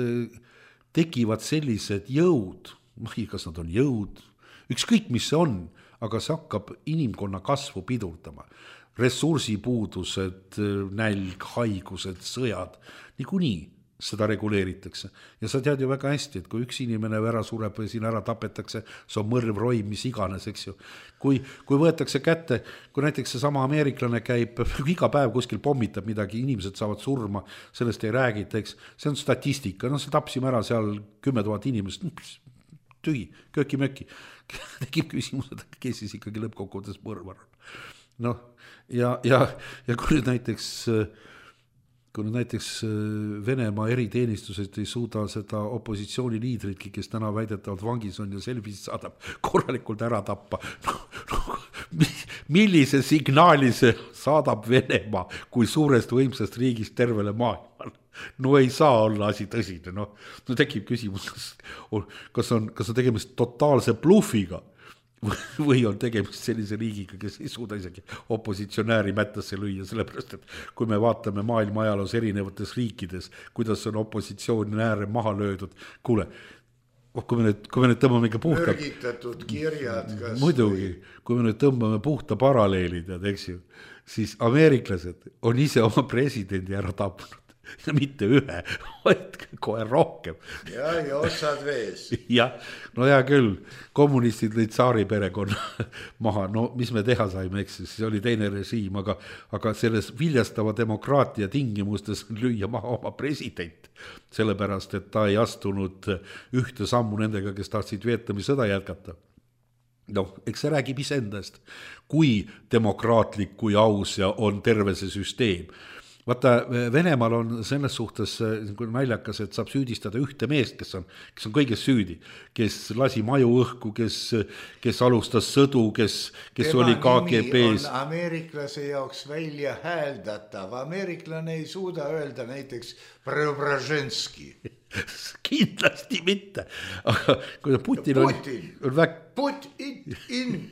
tekivad sellised jõud, kas nad on jõud, ükskõik mis see on, aga see hakkab inimkonna kasvu pidurdama. Ressursipuudused, nälg, haigused, sõjad, niikuinii seda reguleeritakse. Ja sa tead ju väga hästi, et kui üks inimene ära sureb või siin ära tapetakse, see on mõrv, roim, mis iganes, eks ju. Kui võetakse kätte, kui näiteks see sama ameeriklane käib, iga päev kuskil pommitab midagi, inimesed saavad surma, sellest ei räägita, eks, see on statistika, see tapsime ära seal 10 000 inimest, tühi, kööki-möki. Tekib küsimus, et kes siis ikkagi lõppkokkuvõttes mõrvar on. Ja kui nüüd näiteks Venemaa eriteenistused ei suuda seda opositsiooni liidritki, kes täna väidetavalt vangis on ja selfis saadab korralikult ära tappa. Millise signaali see saadab Venemaa kui suurest võimsast riigist tervele maailmale? Ei saa olla asi tõsine. Tekib küsimus, kas on tegemist totaalse blufiga või on tegemist sellise riigiga, kes ei suuda isegi opositsionääri mättasse lüüa, sellepärast, et kui me vaatame maailma ajaloos erinevates riikides, kuidas on opositsioonääre maha löödud, kuule, kui me nüüd tõmbame ikka puhta... Mürgitatud kirjad kas... Muidugi, kui me nüüd tõmbame puhta paralleelid, eks ju, siis ameeriklased on ise oma presidendi ära tapnud. Ja mitte ühe, vaid kohe rohkem. Ja osad vees. Jah, hea küll, kommunistid lõid Tsaari perekonna maha, mis me teha saime, eks, siis oli teine režiim, aga selles viljastava demokraatia tingimustes lüüa maha oma president, sellepärast, et ta ei astunud ühte sammu nendega, kes tahtsid Vietnami sõda jätkata. Eks see räägib iseendast, kui demokraatlik, kui aus ja on terve see süsteem. Vaata, Venemaal on selles suhtes naljakas, et saab süüdistada ühte meest, kes on kõiges süüdi, kes lasi maju õhku, kes alustas sõdu, kes oli KGB-s. Tema nimi on ameeriklase jaoks välja hääldatav. Ameeriklane ei suuda öelda näiteks Preobraženski. Kindlasti mitte. Aga kui Putin Putin.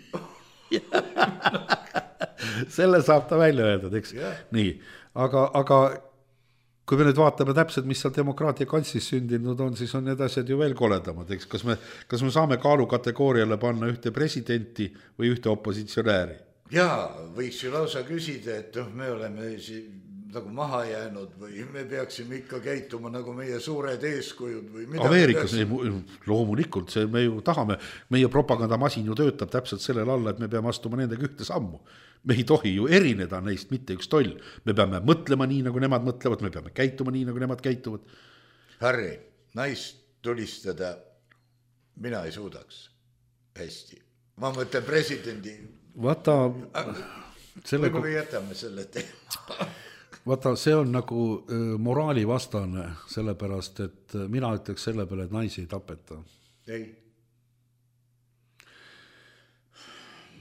Selle saab ta välja öelda, eks? Nii. Aga kui me nüüd vaatame täpselt, mis seal demokraatia kantsis sündinud on, siis on need asjad ju veel koledamad, eks? Kas me saame kaalukategooriale panna ühte presidenti või ühte opositsionääri? Jaa, võiks ju lausa küsida, et me oleme nagu maha jäänud või me peaksime ikka käituma nagu meie suured eeskujud või mida. Ameerikas loomulikult, me ju tahame, meie propagandamasin ju töötab täpselt sellel alla, et me peame astuma nendega ühte sammu. Me ei tohi ju erineda neist mitte üks toll. Me peame mõtlema nii, nagu nemad mõtlevad, me peame käituma nii, nagu nemad käituvad. Harri, naist tulistada mina ei suudaks. hästi. Ma mõtlen presidendi. Vaata, võib-olla jätame selle teema. Vaata, see on nagu moraalivastane, sellepärast, et mina ütleks selle peale, et naisi ei tapeta. Ei.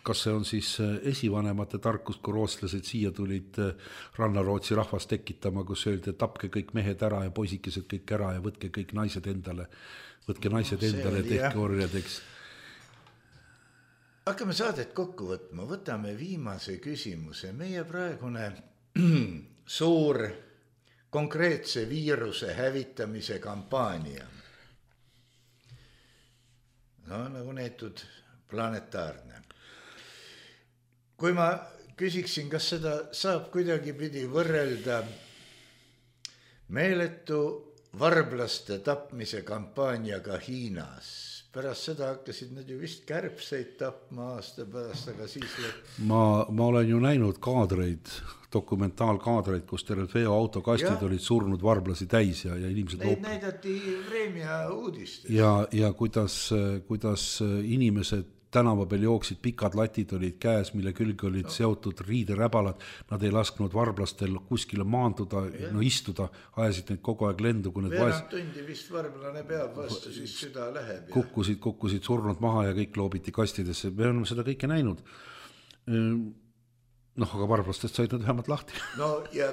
Kas see on siis esivanemate tarkus, kui rootslased siia tulid Rannarootsi rahvast tekitama, kus öeldi, et tapke kõik mehed ära ja poisikesed kõik ära ja võtke kõik naised endale, tehke orjadeks. Hakkame saadet kokku võtma, võtame viimase küsimuse. Meie praegune suur konkreetse viiruse hävitamise kampaania. No nagu neetud planetaarne. Kui ma küsiksin, kas seda saab kuidagi pidi võrrelda meeletu varblaste tapmise kampaaniaga Hiinas. Pärast seda hakkasid nad ju vist kärbseid tapma aasta pärast, aga siis... Ma olen ju näinud kaadreid, dokumentaalkaadreid, kus terved veoautokastid olid surnud varblasi täis ja inimesed... Neid näidati Vremja uudistes. Ja kuidas inimesed tänava peal jooksid, pikad latid olid käes, mille külge olid seotud riideräbalad, nad ei lasknud varblastel kuskile maanduda, istuda, ajasid neid kogu aeg lendu, kui veerand tundi vist varblane peab vastu, siis süda läheb. Kukkusid surnud maha ja kõik loobiti kastidesse, me oleme seda kõike näinud. Aga varblastest said nad vähemalt lahti. No ja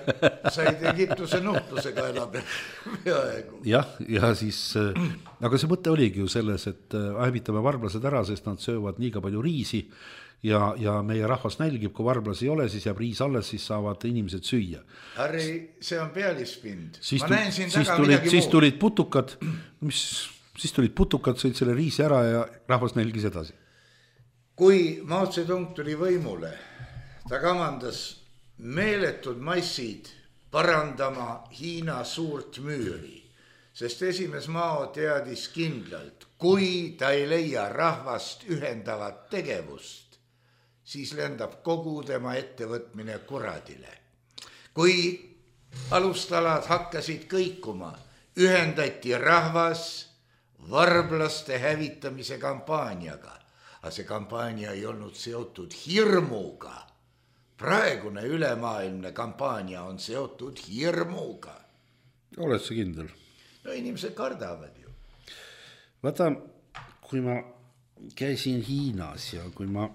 said Egiptuse nuhtlusega enam peaaegu. Ja siis, aga see mõte oligi ju selles, et hävitame varblased ära, sest nad söövad liiga palju riisi ja meie rahvas nälgib, kui varblasi ei ole, siis jääb riis alles, siis saavad inimesed süüa. Harri, see on pealispind. Siis tulid putukad, sõid selle riisi ära ja rahvas nälgis edasi. Kui Mao Zedong tuli võimule, ta kamandas meeletud massid parandama Hiina suurt müüri, sest esimees Mao teadis kindlalt, kui ta ei leia rahvast ühendavat tegevust, siis lendab kogu tema ettevõtmine kuradile. Kui alustalad hakkasid kõikuma, ühendati rahvas varblaste hävitamise kampaaniaga, aga see kampaania ei olnud seotud hirmuga. Praegune ülemaailmne kampaania on seotud hirmuga. Oled sa kindel? No inimesed kardavad ju. Vaata, kui ma käisin Hiinas ja kui ma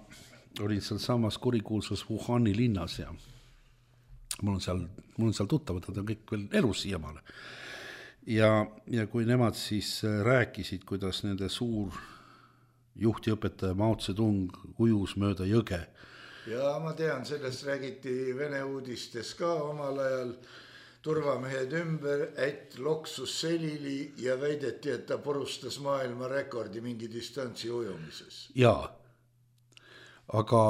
olin seal samas kurikuulsas Wuhani linnas ja mul on seal tuttavad, nad on kõik veel elus siiamaale. Ja kui nemad siis rääkisid, kuidas nende suur juhtiõpetaja Mao Zedong ujus mööda jõge. Ja ma tean, sellest räägiti Vene uudistes ka omal ajal. Turvamehed ümber, et loksus selili ja väideti, et ta porustas maailma rekordi mingi distantsi ujumises. Jaa, aga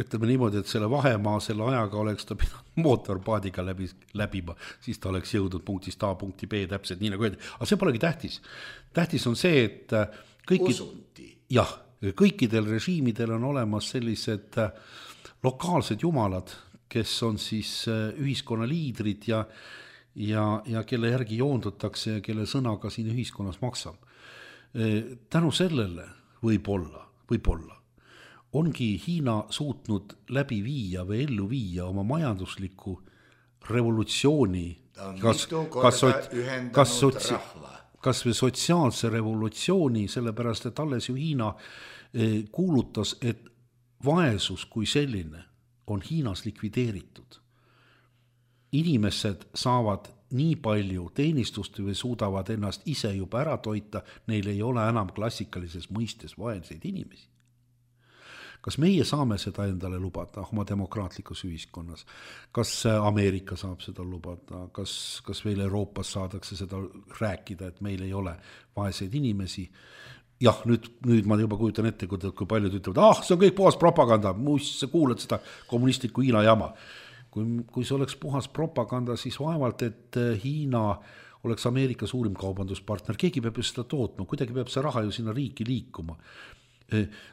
ütleme niimoodi, et selle vahemaa selle ajaga oleks ta pidanud mootorpaadiga läbima, siis ta oleks jõudnud punktist A punkti B täpselt nii nagu öeldi. Aga see polegi tähtis. Tähtis on see, et kõikidel režiimidel on olemas sellised lokaalsed jumalad, kes on siis ühiskonna liidrid ja kelle järgi joondutakse ja kelle sõnaga siin ühiskonnas maksab. Tänu sellele võib-olla ongi Hiina suutnud läbi viia või ellu viia oma majandusliku revolutsiooni, kas või sotsiaalse revolutsiooni, sellepärast et alles ju Hiina kuulutas, et vaesus kui selline on Hiinas likvideeritud. Inimesed saavad nii palju teenistust või suudavad ennast ise juba ära toita, neil ei ole enam klassikalises mõistes vaeseid inimesi. Kas meie saame seda endale lubada oma demokraatlikus ühiskonnas? Kas Ameerika saab seda lubada? Kas veel Euroopas saadakse seda rääkida, et meil ei ole vaeseid inimesi? Jah, nüüd ma juba kujutan ette, kui paljud ütlevad, see on kõik puhas propaganda, sa kuulad seda kommunistlikku Hiina jama. Kui see oleks puhas propaganda, siis vaevalt, et Hiina oleks Ameerika suurim kaubanduspartner, keegi peab ju seda tootma, kuidagi peab see raha ju sinna riiki liikuma.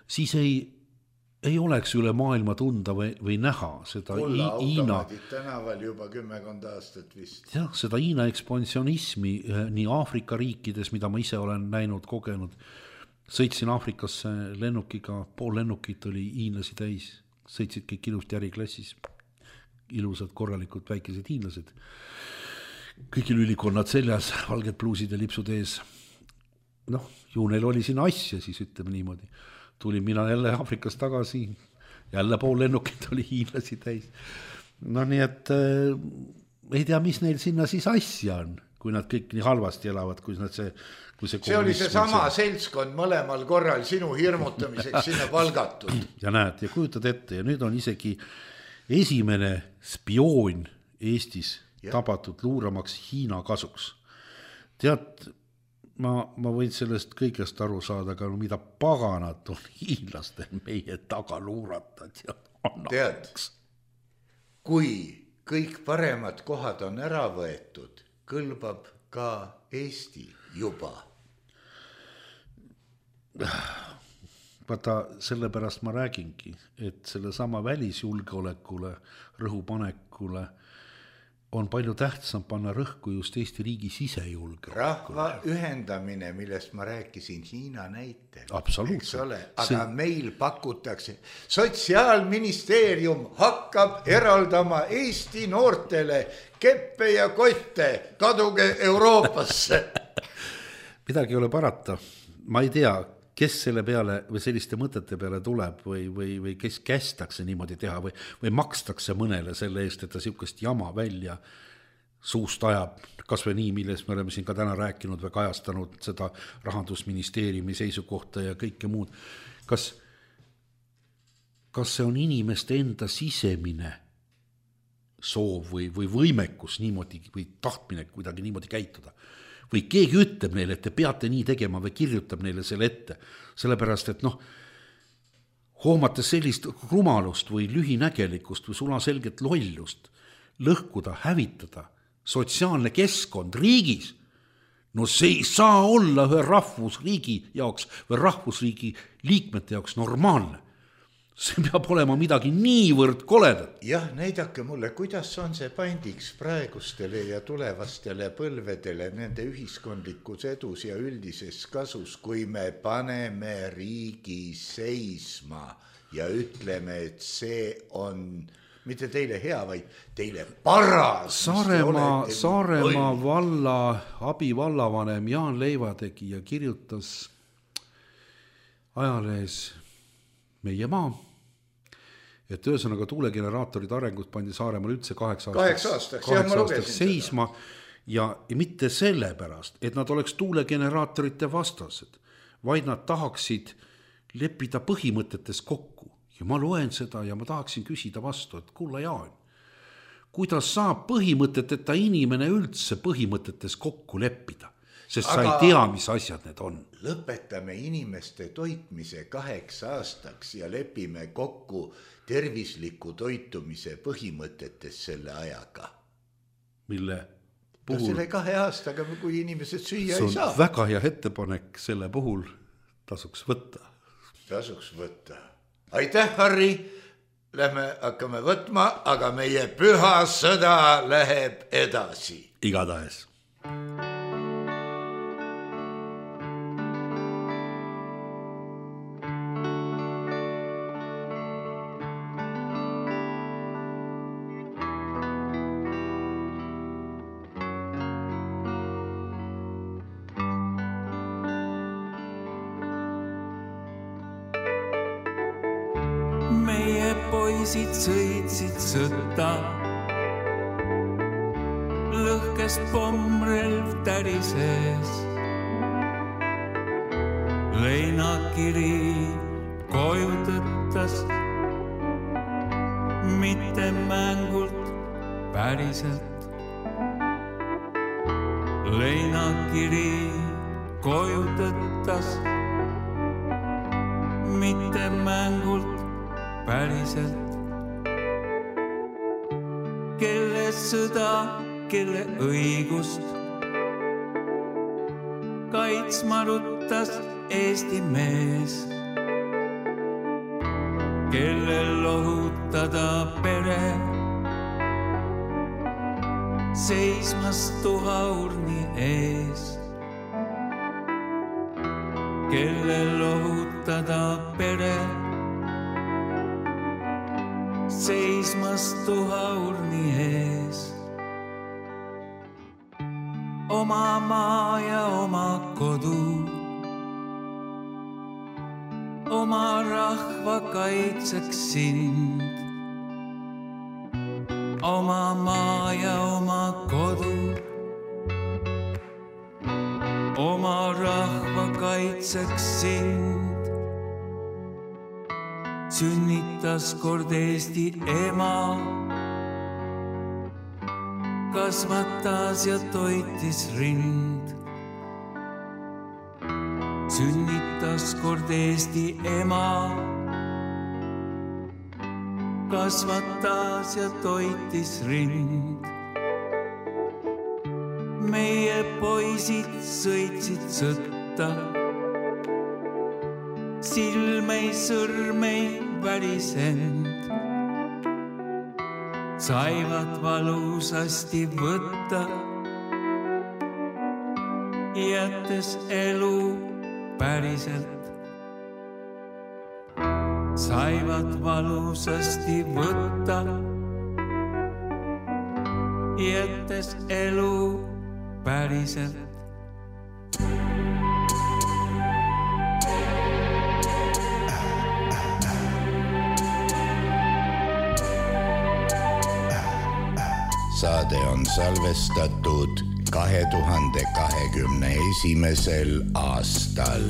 Siis ei oleks üle maailma tunda või näha seda automaadid tänaval juba 10 aastat vist. Jah, seda Hiina ekspansionismi nii Aafrika riikides, mida ma ise olen näinud, kogenud, sõitsin Aafrikasse lennukiga, pool lennukit oli hiinlasi täis, sõitsid kõik ilusti äriklassis, ilusad, korralikud väikesed hiinlased, kõigil ülikonnad seljas, valged pluusid ja lipsud ees. Noh, ju neil oli siin asja, siis ütleme niimoodi. Tulin mina jälle Aafrikast tagasi, jälle pool lennukit oli hiinlasi täis. No nii, et ei tea, mis neil sinna siis asja on, kui nad kõik nii halvasti elavad, kui see oli see sama seltskond mõlemal korral sinu hirmutamiseks sinna palgatud. Ja näed, ja kujutad ette, ja nüüd on isegi esimene spioon Eestis tabatud luuramaks Hiina kasuks. Tead, ma võin sellest kõigest aru saada, aga mida paganat on hiinlastel meie taga luuratad ja annaks. Kui kõik paremad kohad on ära võetud, kõlbab ka Eesti juba. Vaata, sellepärast ma räägingi, et selle sama välisjulgeolekule, rõhupanekule on palju tähtsam panna rõhku just Eesti riigi sisejulgeolekule. Rahva ühendamine, millest ma rääkisin Hiina näitel. Absoluutselt. Aga meil pakutakse, Sotsiaalministeerium hakkab eraldama Eesti noortele keppe ja kotte, kaduge Euroopasse. Midagi ei ole parata. Ma ei tea, kes selle peale või selliste mõtete peale tuleb või kes kästakse niimoodi teha või makstakse mõnele selle eest, et ta sihukest jama välja suust ajab, kas või nii, milles me oleme siin ka täna rääkinud või kajastanud seda Rahandusministeeriumi seisukohta ja kõike muud. Kas see on inimeste enda sisemine soov või võimekus niimoodi või tahtmine kuidagi niimoodi käituda? Või keegi ütleb neile, et te peate nii tegema või kirjutab neile selle ette. Sellepärast, et hoomates sellist rumalust või lühinägelikkust või sulaselget lollust, lõhkuda, hävitada sotsiaalne keskkond riigis, no see ei saa olla ühe rahvusriigi jaoks või rahvusriigi liikmete jaoks normaalne. See peab olema midagi niivõrd koledat. Jah, näidake mulle, kuidas on see pandiks praegustele ja tulevastele põlvedele nende ühiskondlikus edus ja üldises kasus, kui me paneme riigi seisma ja ütleme, et see on mitte teile hea, vaid teile paras. Saaremaa valla abivallavanem Jaan Leivategija kirjutas ajalehes Meie maa, et ühesõnaga tuulegeneraatorid arengut pandi Saaremaal üldse 8 aastaks seisma ja mitte sellepärast, et nad oleks tuulegeneraatorite vastased, vaid nad tahaksid leppida põhimõtetes kokku. Ja ma loen seda ja ma tahaksin küsida vastu, et kulla Jaan, kuidas saab põhimõteteta inimene üldse põhimõtetes kokku leppida? Sest sa ei tea, mis asjad need on. Lõpetame inimeste toitmise 8 aastaks ja lepime kokku tervisliku toitumise põhimõtetes selle ajaga. Mille puhul? Selle 2 aastaga, kui inimesed süüa ei saa. See on väga hea ettepanek, selle puhul tasuks võtta. Aitäh, Harri! Lähme hakkame võtma, aga meie püha sõda läheb edasi. Igatahes. Sõitsid sõtta, lõhkest pommrelv tärises, leinakiri koju tõttas, mitte mängult päriselt. Leinakiri koju tõttas, mitte mängult päriselt. Kelle sõda, kelle õigust kaitsma ruttas Eesti mees, kellel lohutada pere seismas tuhaurni ees, kellel lohutada pere. Seismas tuhaurni ees, oma maa ja oma kodu, oma rahva kaitseks sind. Oma maa ja oma kodu, oma rahva kaitseks sind. Sünnitas kord Eesti ema, kasvatas ja toitis rind. Sünnitas kord Eesti ema, kasvatas ja toitis rind. Meie poisid sõitsid sõtta, silmei sõrmei värisend. Saivad valusasti võtta, jättes elu päriselt. Saivad valusasti võtta, jättes elu päriselt. Saade on salvestatud 2021. aastal.